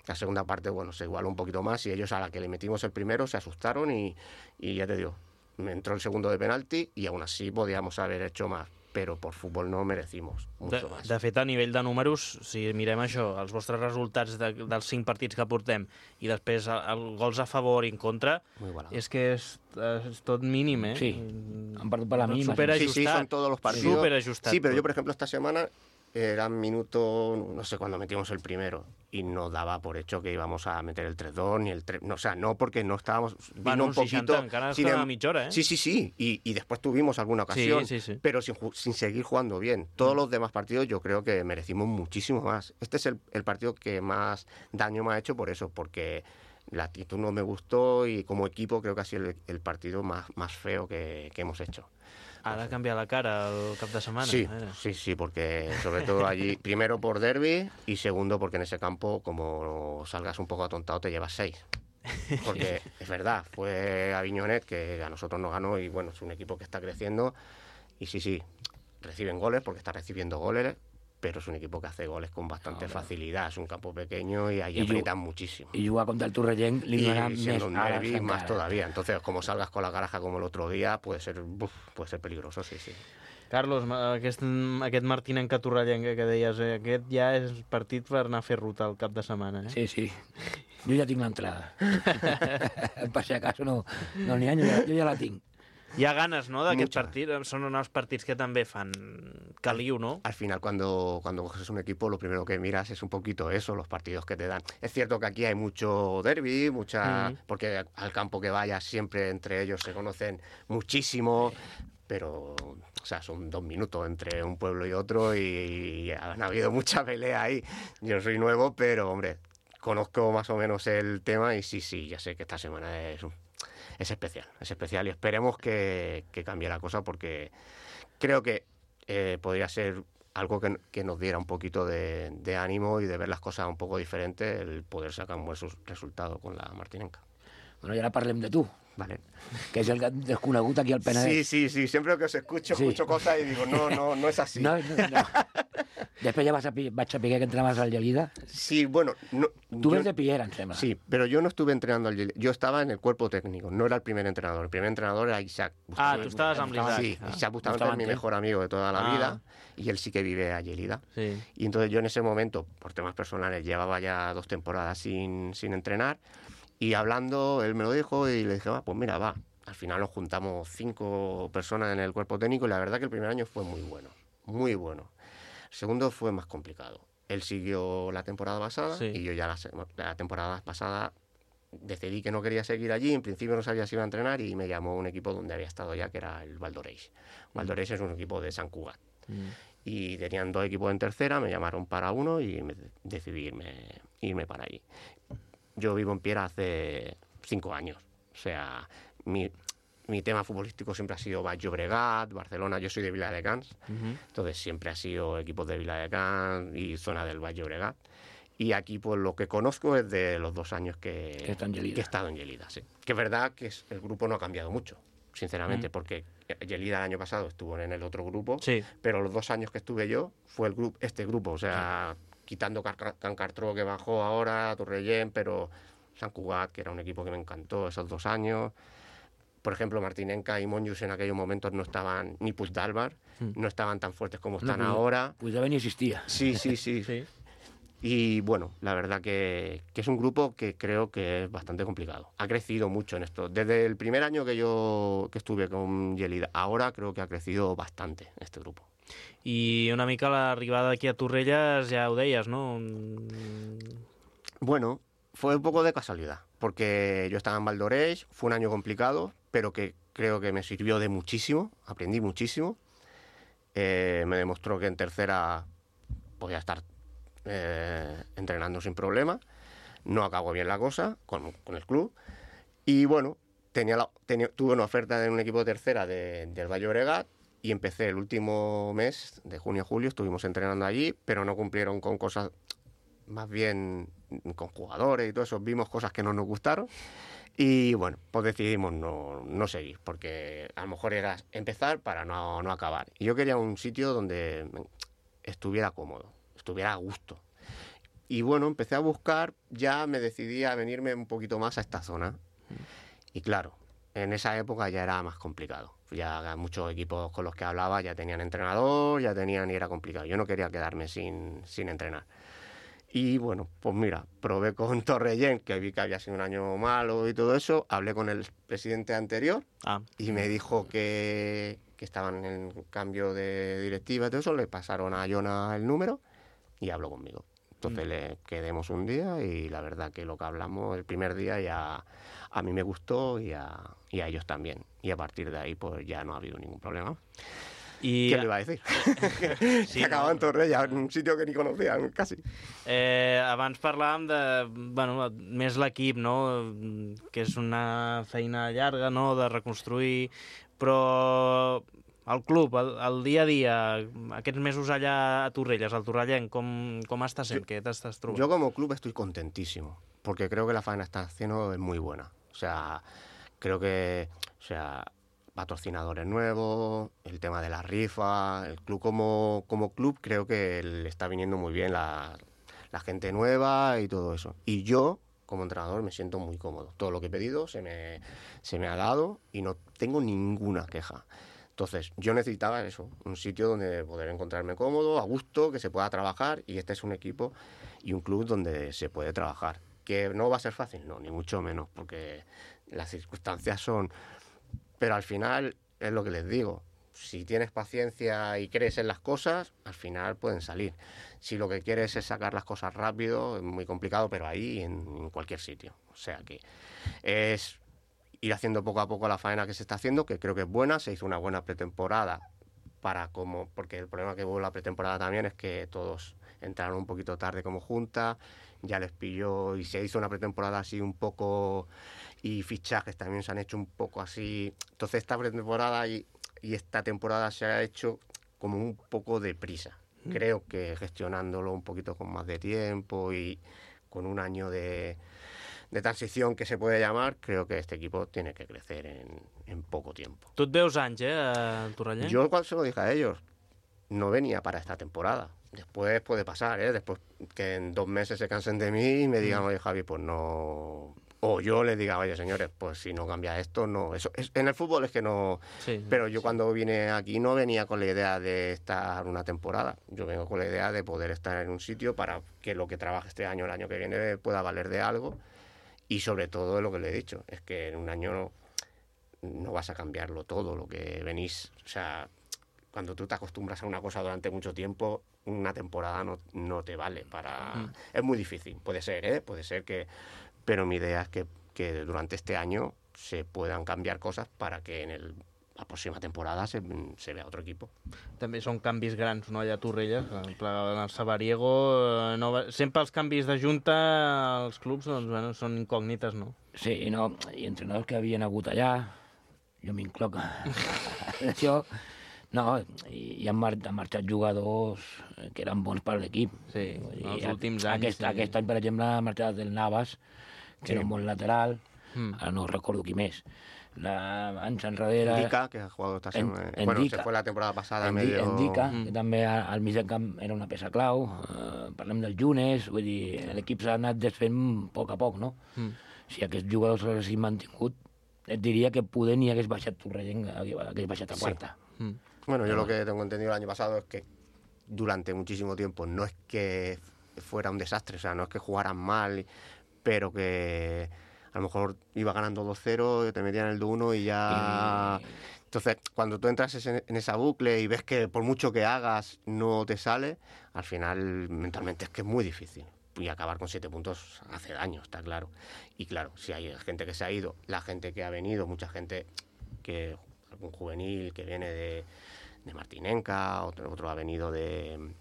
La segunda parte, bueno, se igualó un poquito más, y ellos, a la que le metimos el primero, se asustaron y ya te digo, me entró el segundo de penalti y aún así podíamos haber hecho más, però per futbol no merecimos mucho más. De fet, a nivell de números, si mirem això, els vostres resultats dels 5 partits que portem i després els gols a favor i en contra, és que és tot mínim, ¿eh? Sí, han perdut per la mínima. Sí, son todos los partidos. Superajustat. Sí, pero yo, por ejemplo, esta semana era minuto, no sé cuándo metimos el primero, y no daba por hecho que íbamos a meter el 3-2 ni el 3, no, o sea, no, porque no estábamos, vino un poquito sin mitja hora, ¿eh? Sí, y después tuvimos alguna ocasión, pero sin seguir jugando bien. Todos los demás partidos yo creo que merecimos muchísimo más. Este es el partido que más daño me ha hecho por eso, porque la actitud no me gustó, y como equipo creo que ha sido el partido más feo que hemos hecho. Ha de canviar la cara el cap de setmana. Sí, porque sobre todo allí, primero por derbi, y segundo porque en ese campo, como salgas un poco atontado, te llevas 6. Porque es verdad, fue Aviñonet que a nosotros nos ganó, y bueno, es un equipo que está creciendo, y sí, reciben goles porque está recibiendo goles, pero es un equipo que hace goles con bastante facilidad. Es un campo pequeño y ahí aprietan muchísimo. Y jugar contra el Torrellent li donarà más todavía. Entonces, como salgas con la caraja como el otro día, puede ser peligroso, sí. Carlos, aquest Martinenca Torrellenca que deies, aquest ja és partit per anar a fer ruta al cap de setmana, eh? Sí. Jo ja tinc l'entrada. Per si acaso no n'hi ha, jo ja la tinc. Hi ha ganes, ¿no?, d'aquest partit. Son unos partidos que también fan caliu, ¿no? Al final, cuando coges un equipo, lo primero que miras es un poquito eso, los partidos que te dan. Es cierto que aquí hay mucho derbi, porque al campo que vayas siempre entre ellos se conocen muchísimo, pero, o sea, son 2 minutos entre un pueblo y otro, y han habido mucha pelea ahí. Yo soy nuevo, pero, hombre, conozco más o menos el tema, y sí, ya sé que esta semana es es especial y esperemos que cambie la cosa, porque creo que podría ser algo que nos diera un poquito de ánimo y de ver las cosas un poco diferentes, el poder sacar un buen resultado con la Martinenca. Bueno, i ara parlem de tu, vale. Que és el desconegut aquí al Penedès. Sí, siempre que os escucho cosas y digo, no es así. No. Després ja vaig saber que entraves al Lleida. Sí, bueno... Tú ves de Piera, em sembla. Sí, pero yo no estuve entrenando al Lleida. Yo estaba en el cuerpo técnico, no era el primer entrenador. El primer entrenador era Isaac Bustamante. tú estabas amb l'Isaac. Sí, Isaac Bustamante es mi mejor amigo de toda la vida y él sí que vive a Lleida. Sí. Y entonces yo en ese momento, por temas personales, llevaba ya 2 temporadas sin entrenar, y hablando, él me lo dijo y le dije, pues mira, va. Al final nos juntamos 5 personas en el cuerpo técnico y la verdad que el primer año fue muy bueno, muy bueno. El segundo fue más complicado. Él siguió la temporada pasada y yo ya la temporada pasada decidí que no quería seguir allí. En principio no sabía si iba a entrenar y me llamó un equipo donde había estado ya, que era el Valdoreix. Valdoreix es un equipo de Sant Cugat. Y tenían 2 equipos en tercera, me llamaron para uno y decidí irme para allí. Yo vivo en Piera hace 5 años. O sea, mi tema futbolístico siempre ha sido Baix Llobregat, Barcelona. Yo soy de Viladecans, entonces siempre ha sido equipos de Viladecans y zona del Baix Llobregat. Y aquí, pues lo que conozco es de los 2 años que he estado en Lleida. Sí. Que es verdad que el grupo no ha cambiado mucho, sinceramente, porque Lleida el año pasado estuvo en el otro grupo, pero los 2 años que estuve yo fue este grupo. O sea, quitando Can Cartró, que bajó ahora, Torrellén, pero Sant Cugat, que era un equipo que me encantó esos 2 años. Por ejemplo, Martinenca y Monjos en aquellos momentos no estaban, ni Puigdàlber, no estaban tan fuertes como están ahora. Puigdàlber ni existía. Sí. Y bueno, la verdad que es un grupo que creo que es bastante complicado. Ha crecido mucho en esto. Desde el primer año que estuve con Lleida, ahora creo que ha crecido bastante este grupo. I una mica l'arribada aquí a Torrelles, ja ho deies, ¿no? Bueno, fue un poco de casualidad, porque yo estaba en Valdoreix, fue un año complicado, pero que creo que me sirvió de muchísimo, aprendí muchísimo. Me demostró que en tercera podía estar entrenando sin problema. No acabó bien la cosa con el club. Y bueno, tuve una oferta de un equipo de tercera del Baix Llobregat y empecé el último mes de junio a julio, estuvimos entrenando allí, pero no cumplieron con cosas, más bien con jugadores y todo eso, vimos cosas que no nos gustaron. Y bueno, pues decidimos no seguir, porque a lo mejor era empezar para no acabar. Y yo quería un sitio donde estuviera cómodo, estuviera a gusto. Y bueno, empecé a buscar, ya me decidí a venirme un poquito más a esta zona. Y claro, en esa época ya era más complicado. Ya muchos equipos con los que hablaba ya tenían entrenador, y era complicado. Yo no quería quedarme sin entrenar. Y bueno, pues mira, probé con Torrellén, que vi que había sido un año malo y todo eso. Hablé con el presidente anterior y me dijo que estaban en cambio de directiva y todo eso. Le pasaron a Jona el número y habló conmigo. Entonces le quedemos un día y la verdad que lo que hablamos el primer día ya a mí me gustó y a ellos también. Y a partir de ahí pues ya no ha habido ningún problema. ¿Qué le iba a decir? Que acabava en Torrella, en un sitio que ni conocía, casi. Abans parlàvem de, bueno, més l'equip, no? Que és una feina llarga, no?, de reconstruir, però el club, el dia a dia, aquests mesos allà a Torrelles, al Torrellenc, com està sent? Què t'estàs trobant? Yo como club estoy contentísimo, porque creo que la faena está haciendo es muy buena. O sea, creo que, patrocinadores nuevos, el tema de la rifa, el club como club creo que le está viniendo muy bien la gente nueva y todo eso. Y yo, como entrenador, me siento muy cómodo. Todo lo que he pedido se me ha dado y no tengo ninguna queja. Entonces, yo necesitaba eso, un sitio donde poder encontrarme cómodo, a gusto, que se pueda trabajar, y este es un equipo y un club donde se puede trabajar. ¿Que no va a ser fácil? No, ni mucho menos, porque las circunstancias son... Pero al final, es lo que les digo, si tienes paciencia y crees en las cosas, al final pueden salir. Si lo que quieres es sacar las cosas rápido, es muy complicado, pero ahí en cualquier sitio. O sea que es ir haciendo poco a poco la faena que se está haciendo, que creo que es buena. Se hizo una buena pretemporada porque el problema que hubo en la pretemporada también es que todos entraron un poquito tarde como junta, ya les pilló y se hizo una pretemporada así un poco, y fichajes también se han hecho un poco así. Entonces esta pretemporada y esta temporada se ha hecho como un poco deprisa. Creo que gestionándolo un poquito con más de tiempo y con un año de transición que se puede llamar, creo que este equipo tiene que crecer en poco tiempo. Tu et veus anys, el Torrellano? Yo cuando se lo dije a ellos, no venía para esta temporada. Después puede pasar, después que en 2 meses se cansen de mí y me digan, oye Javi, pues no... O yo les diga, oye señores, pues si no cambia esto, no. Eso en el fútbol es que no... Sí, pero yo cuando vine aquí no venía con la idea de estar una temporada. Yo vengo con la idea de poder estar en un sitio para que lo que trabaje este año, el año que viene, pueda valer de algo. Y sobre todo lo que le he dicho, es que en un año no vas a cambiarlo todo, lo que venís... O sea, cuando tú te acostumbras a una cosa durante mucho tiempo, una temporada no te vale para... Es muy difícil, puede ser que... Pero mi idea es que durante este año se puedan cambiar cosas para que en la próxima temporada se vea otro equipo. També són canvis grans, no, allà a Torrelles, en el Sabariego, sempre els canvis de junta als clubs doncs, bueno, són incògnites, no? Sí, no, i entrenadors que havien hagut allà, jo m'incloc això, no, i han marxat jugadors que eren bons per l'equip. Sí, els últims anys... Aquest any, per exemple, ha marxat el Navas, que era un bon lateral, ara no recordo qui més. Anys enrere... Ndica, que ha jugado esta semana. Bueno, se fue la temporada pasada medio... Ndica, que també al mig del camp era una peça clau. Parlem del Younes, vull dir, l'equip s'ha anat desfent a poc, no? Si aquests jugadors s'haguessin mantingut, et diria que poder ni hagués baixat Torrellano, hagués baixat a quarta. Bueno, yo lo que tengo entendido el año pasado es que durante muchísimo tiempo no es que fuera un desastre, o sea, no es que jugaran mal, pero que a lo mejor iba ganando 2-0, te metían el 2-1 y ya... Entonces, cuando tú entras en esa bucle y ves que por mucho que hagas no te sale, al final mentalmente es que es muy difícil. Y acabar con 7 puntos hace daño, está claro. Y claro, si hay gente que se ha ido, la gente que ha venido, mucha gente que... algún juvenil que viene de Martinenca, otro ha venido de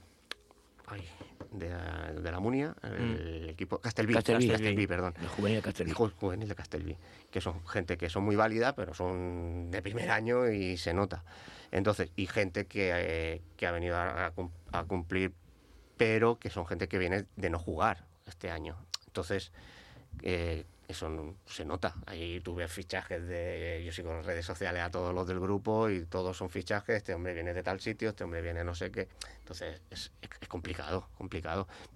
la Munia, el equipo Castelví, perdón. El juvenil de Castelví. Juvenil de Castelví, que son gente que son muy válida, pero son de primer año y se nota. Entonces, y gente que ha venido a cumplir, pero que son gente que viene de no jugar este año. Entonces, eso se nota. Ahí tú ves fichajes yo sigo en las redes sociales a todos los del grupo y todos son fichajes. Este hombre viene de tal sitio, este hombre viene no sé qué. Entonces es complicado.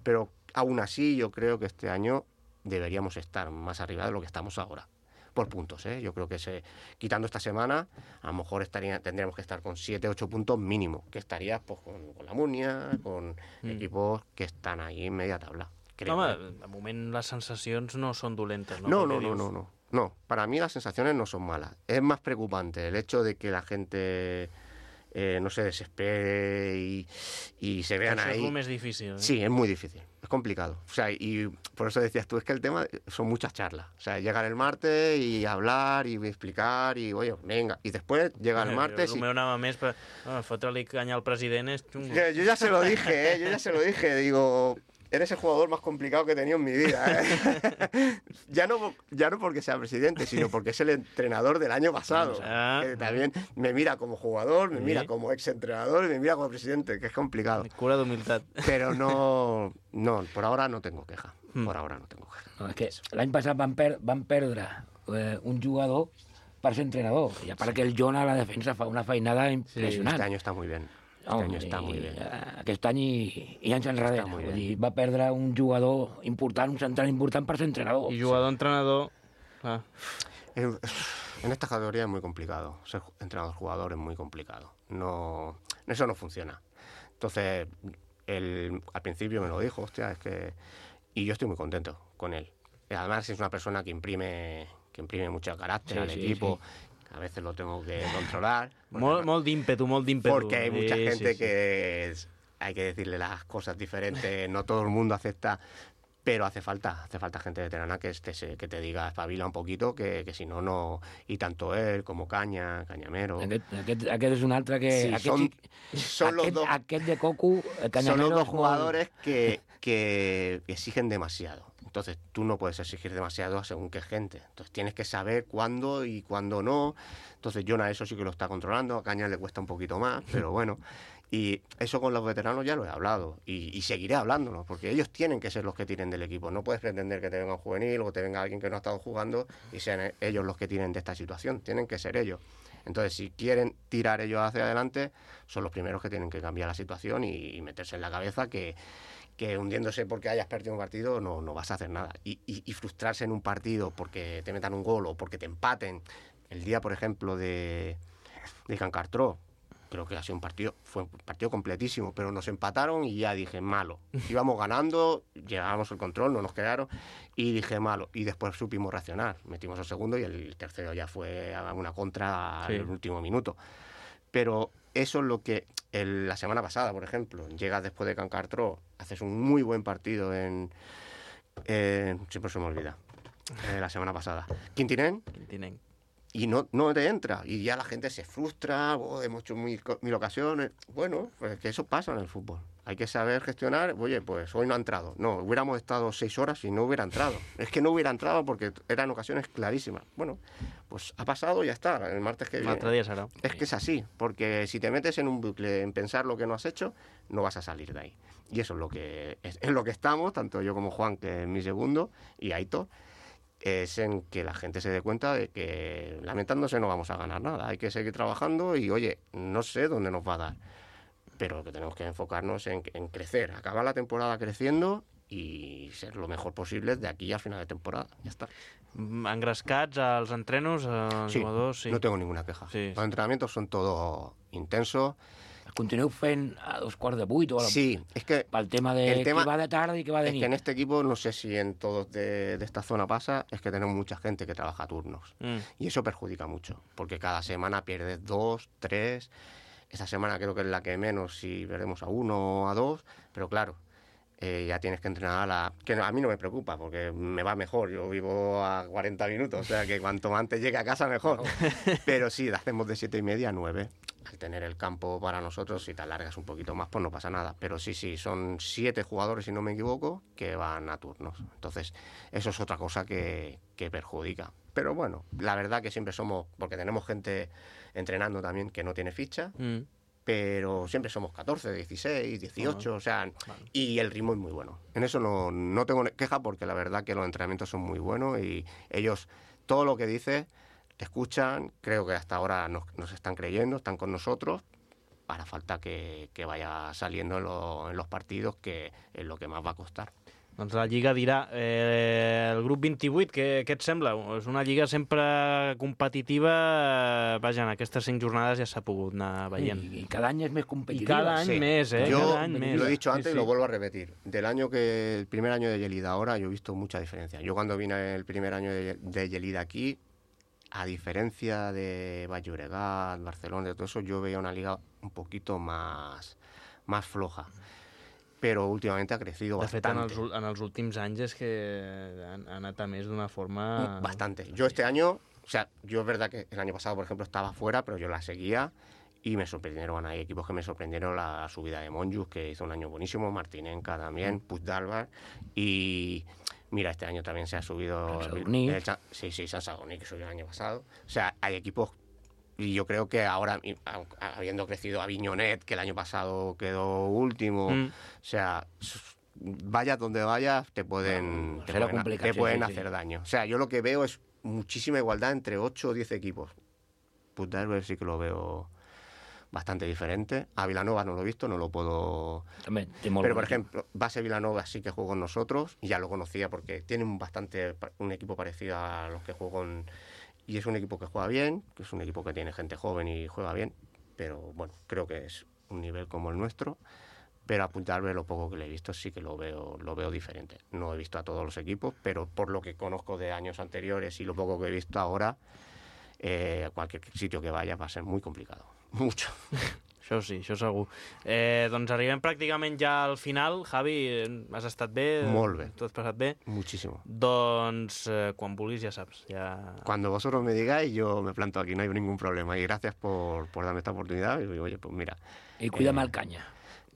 Pero aún así yo creo que este año deberíamos estar más arriba de lo que estamos ahora. Por puntos, Yo creo que quitando esta semana, a lo mejor tendríamos que estar con 7-8 puntos mínimo, que estarías pues, con la Munia, con equipos que están ahí en media tabla. Creo. Home, de moment les sensacions no són dolentes, no? No, para mí las sensaciones no son malas. Es más preocupante el hecho de que la gente no se desespere y se vean ahí. Eso es lo más difícil. Sí, es muy difícil, es complicado. O sea, y por eso decías tú, es que el tema son muchas charlas. O sea, llegar el martes y hablar y explicar y, oye, venga. Y después llega el martes El meu anava més, però fotre-li canya al president és xungo. Yo ya se lo dije, digo... Eres el jugador más complicado que he tenido en mi vida. Ya no porque sea presidente, sino porque es el entrenador del año pasado. Que también me mira como jugador, me mira como exentrenador y me mira como presidente, que es complicado. Cura d'humilitat. Pero no, por ahora no tengo queja. Por ahora no tengo queja. No, és que l'any passat van perdre un jugador per ser entrenador. I a part que el John a la defensa fa una feinada impressionant. Este año está muy bien. Està molt bé. Aquest any i anys enrere. Va perdre un jugador important, un central important per ser entrenador. I jugador-entrenador... En esta categoría es muy complicado. Ser entrenador-jugador es muy complicado. No, eso no funciona. Entonces, al principio me lo dijo, hostia, es que... Y yo estoy muy contento con él. Además, es una persona que imprime mucho carácter al equipo. Sí. A veces lo tengo que controlar. Molt d'ímpetu. Porque hay mucha gente que hay que decirle las cosas diferentes, no todo el mundo acepta. pero hace falta gente veterana que te diga espabila un poquito, que si no... I tant ell com Canyamero... Aquest és un altre que... Sí, aquest de Cocu, Canyamero... Son los dos jugadores que exigen demasiado. Entonces, tú no puedes exigir demasiado según qué gente. Entonces, tienes que saber cuándo y cuándo no. Entonces, Jonah eso sí que lo está controlando. A Caña le cuesta un poquito más, pero bueno... Y eso con los veteranos ya lo he hablado y seguiré hablándolo, porque ellos tienen que ser los que tiren del equipo. No puedes pretender que te venga un juvenil o te venga alguien que no ha estado jugando y sean ellos los que tiren de esta situación. Tienen que ser ellos. Entonces, si quieren tirar ellos hacia adelante, son los primeros que tienen que cambiar la situación y meterse en la cabeza que hundiéndose porque hayas perdido un partido no vas a hacer nada. Y frustrarse en un partido porque te metan un gol o porque te empaten. El día, por ejemplo, de Can Cartró, creo que ha sido fue un partido completísimo, pero nos empataron y ya dije, malo. Íbamos ganando, llevábamos el control, no nos quedaron, y dije, malo. Y después supimos reaccionar. Metimos el segundo y el tercero ya fue a una contra al último minuto. Pero eso es lo que la semana pasada, por ejemplo, llegas después de Can Cartró, haces un muy buen partido siempre se me olvida, la semana pasada. Quintinén. Y no te entra, y ya la gente se frustra, hemos hecho mil ocasiones. Bueno, pues que eso pasa en el fútbol. Hay que saber gestionar, oye, pues hoy no ha entrado. No, hubiéramos estado 6 horas y no hubiera entrado. Es que no hubiera entrado porque eran ocasiones clarísimas. Bueno, pues ha pasado y ya está, el martes que viene. L'altre dia serà. Es que es así, porque si te metes en un bucle, en pensar lo que no has hecho, no vas a salir de ahí. Y eso es lo que estamos, tanto yo como Juan, que es mi segundo, y Aitor, es en que la gente se dé cuenta de que lamentándose no vamos a ganar nada. Hay que seguir trabajando y, oye, no sé dónde nos va a dar, pero que tenemos que enfocarnos en crecer, acabar la temporada creciendo y ser lo mejor posible de aquí al final de temporada. Ya está. Engrescats als entrenos, els jugadors... Sí, no tengo ninguna queja. Sí. Los entrenamientos son todo intensos. Continueu fent a 7:45 o a la... Sí, es que... Pel tema de que va de tarde y que va de nit. Es que en este equipo, no sé si en todos de esta zona pasa, es que tenemos mucha gente que trabaja a turnos. Y eso perjudica mucho, porque cada semana pierdes 2, 3... Esta semana creo que es la que menos, si perdemos a 1 o a 2, pero claro, ya tienes que entrenar que a mí no me preocupa, porque me va mejor, yo vivo a 40 minutos, o sea que cuanto antes llegue a casa mejor. Pero sí, hacemos de 7:30 a 9. Al tener el campo para nosotros, si te alargas un poquito más, pues no pasa nada. Pero sí, son 7 jugadores, si no me equivoco, que van a turnos. Entonces, eso es otra cosa que perjudica. Pero bueno, la verdad que siempre somos, porque tenemos gente entrenando también que no tiene ficha, pero siempre somos 14, 16, 18, o sea, y el ritmo es muy bueno. En eso no tengo queja, porque la verdad que los entrenamientos son muy buenos y ellos, todo lo que dices, escuchan, creo que hasta ahora nos están creyendo, están con nosotros. Para falta que vaya saliendo en los partidos, que es lo que más va a costar. Doncs la Lliga dirà, el grup 28, què et sembla? És una Lliga sempre competitiva, vaja, en aquestes 5 jornades ja s'ha pogut anar veient. I cada any és més competitiva. I cada any més, Yo cada any més. Lo he dicho antes y lo vuelvo a repetir. El primer año de Lleida ahora, yo he visto mucha diferencia. Yo cuando vine el primer año de Lleida aquí, a diferencia de Baix Llobregat, Barcelona, de todo eso, yo veía una liga un poquito más floja. Però últimament ha crecido bastante. De fet, en els últims anys és que han anat a més d'una forma... Bastante. Yo este año, o sea, yo es verdad que el año pasado, por ejemplo, estaba fuera, pero yo la seguía y me sorprendieron. Hay equipos que me sorprendieron, la subida de Monjos, que hizo un año buenísimo, Martinenca también, Puigdàlber, y... Mira, este año también se ha subido... San Sadurní, que subió el año pasado. O sea, hay equipos... Y yo creo que ahora, habiendo crecido Avinyonet, que el año pasado quedó último, o sea, vayas donde vayas, te pueden hacer daño. O sea, yo lo que veo es muchísima igualdad entre 8 o 10 equipos. Puigdàlber sí que lo veo bastante diferente. A Vilanova no lo he visto, no lo puedo... Pero, por ejemplo, Base Vilanova sí que jugó con nosotros, y ya lo conocía porque tiene un equipo parecido a los que jugó con... Y es un equipo que juega bien, que es un equipo que tiene gente joven y juega bien, pero bueno, creo que es un nivel como el nuestro. Pero a Puigdàlber, lo poco que le he visto, sí que lo veo diferente. No he visto a todos los equipos, pero por lo que conozco de años anteriores y lo poco que he visto ahora, cualquier sitio que vaya va a ser muy complicado. Mucho. Això sí, això segur. Doncs arribem pràcticament ja al final. Javi, has estat bé? Molt bé. T'ho has passat bé? Muchísimo. Doncs quan vulguis ja saps. Cuando vosotros me digáis, yo me planto aquí, no hay ningún problema. Y gracias por darme esta oportunidad. Y oye, pues mira. I cuida'm el Canya.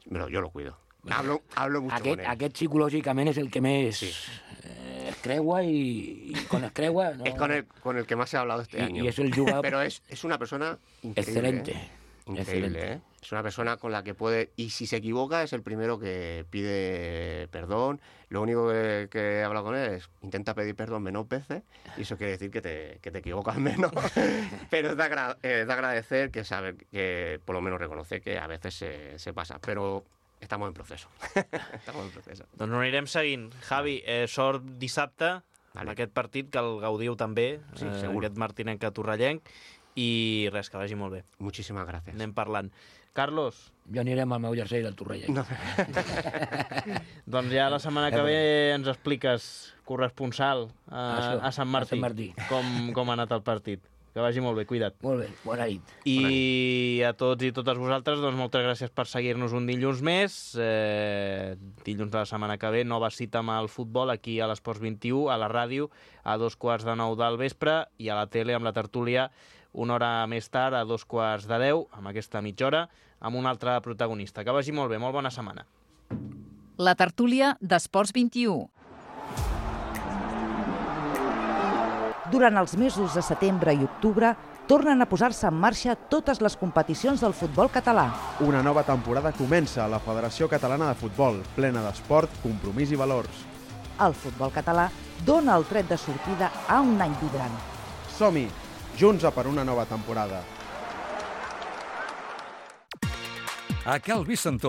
Yo lo cuido. Hablo mucho con él. Aquest psicològicament és el que més es creua y con el creua... No... Es con el que más he hablado este año. Y es el jugador... Pero es una persona increíble. Excelente. Increíble, ¿eh? Es una persona con la que puede... Y si se equivoca es el primero que pide perdón. Lo único que he hablado con él es intenta pedir perdón menos veces. Y eso quiere decir que te equivocas menos. Pero es de agradecer que sabe que por lo menos reconoce que a veces se pasa. Pero... Estamos en proceso. Doncs ho anirem seguint. Javi, sort dissabte amb aquest partit, que el gaudiu també, aquest martinenc torrellenc, i res, que vagi molt bé. Moltíssimes gràcies. Anem parlant. Carlos? Jo anirem al meu jersei del torrellenc. No. Doncs ja la setmana que ve ens expliques, corresponsal a Sant Martí, com ha anat el partit. Que vagi molt bé, cuida't. Molt bé, bona nit. I a tots i totes vosaltres, doncs moltes gràcies per seguir-nos un dilluns més. Dilluns de la setmana que ve, nova cita amb el futbol aquí a l'Esports 21, a la ràdio, a 9:15 del vespre, i a la tele amb la tertúlia una hora més tard, a 9:45, amb aquesta mitja hora, amb un altre protagonista. Que vagi molt bé, molt bona setmana. La tertúlia d'Esports 21. Durant els mesos de setembre i octubre, tornen a posar-se en marxa totes les competicions del futbol català. Una nova temporada comença a la Federació Catalana de Futbol, plena d'esport, compromís i valors. El futbol català dona el tret de sortida a un any vibrant. Som-hi, junts a per una nova temporada. A Cal Vicentó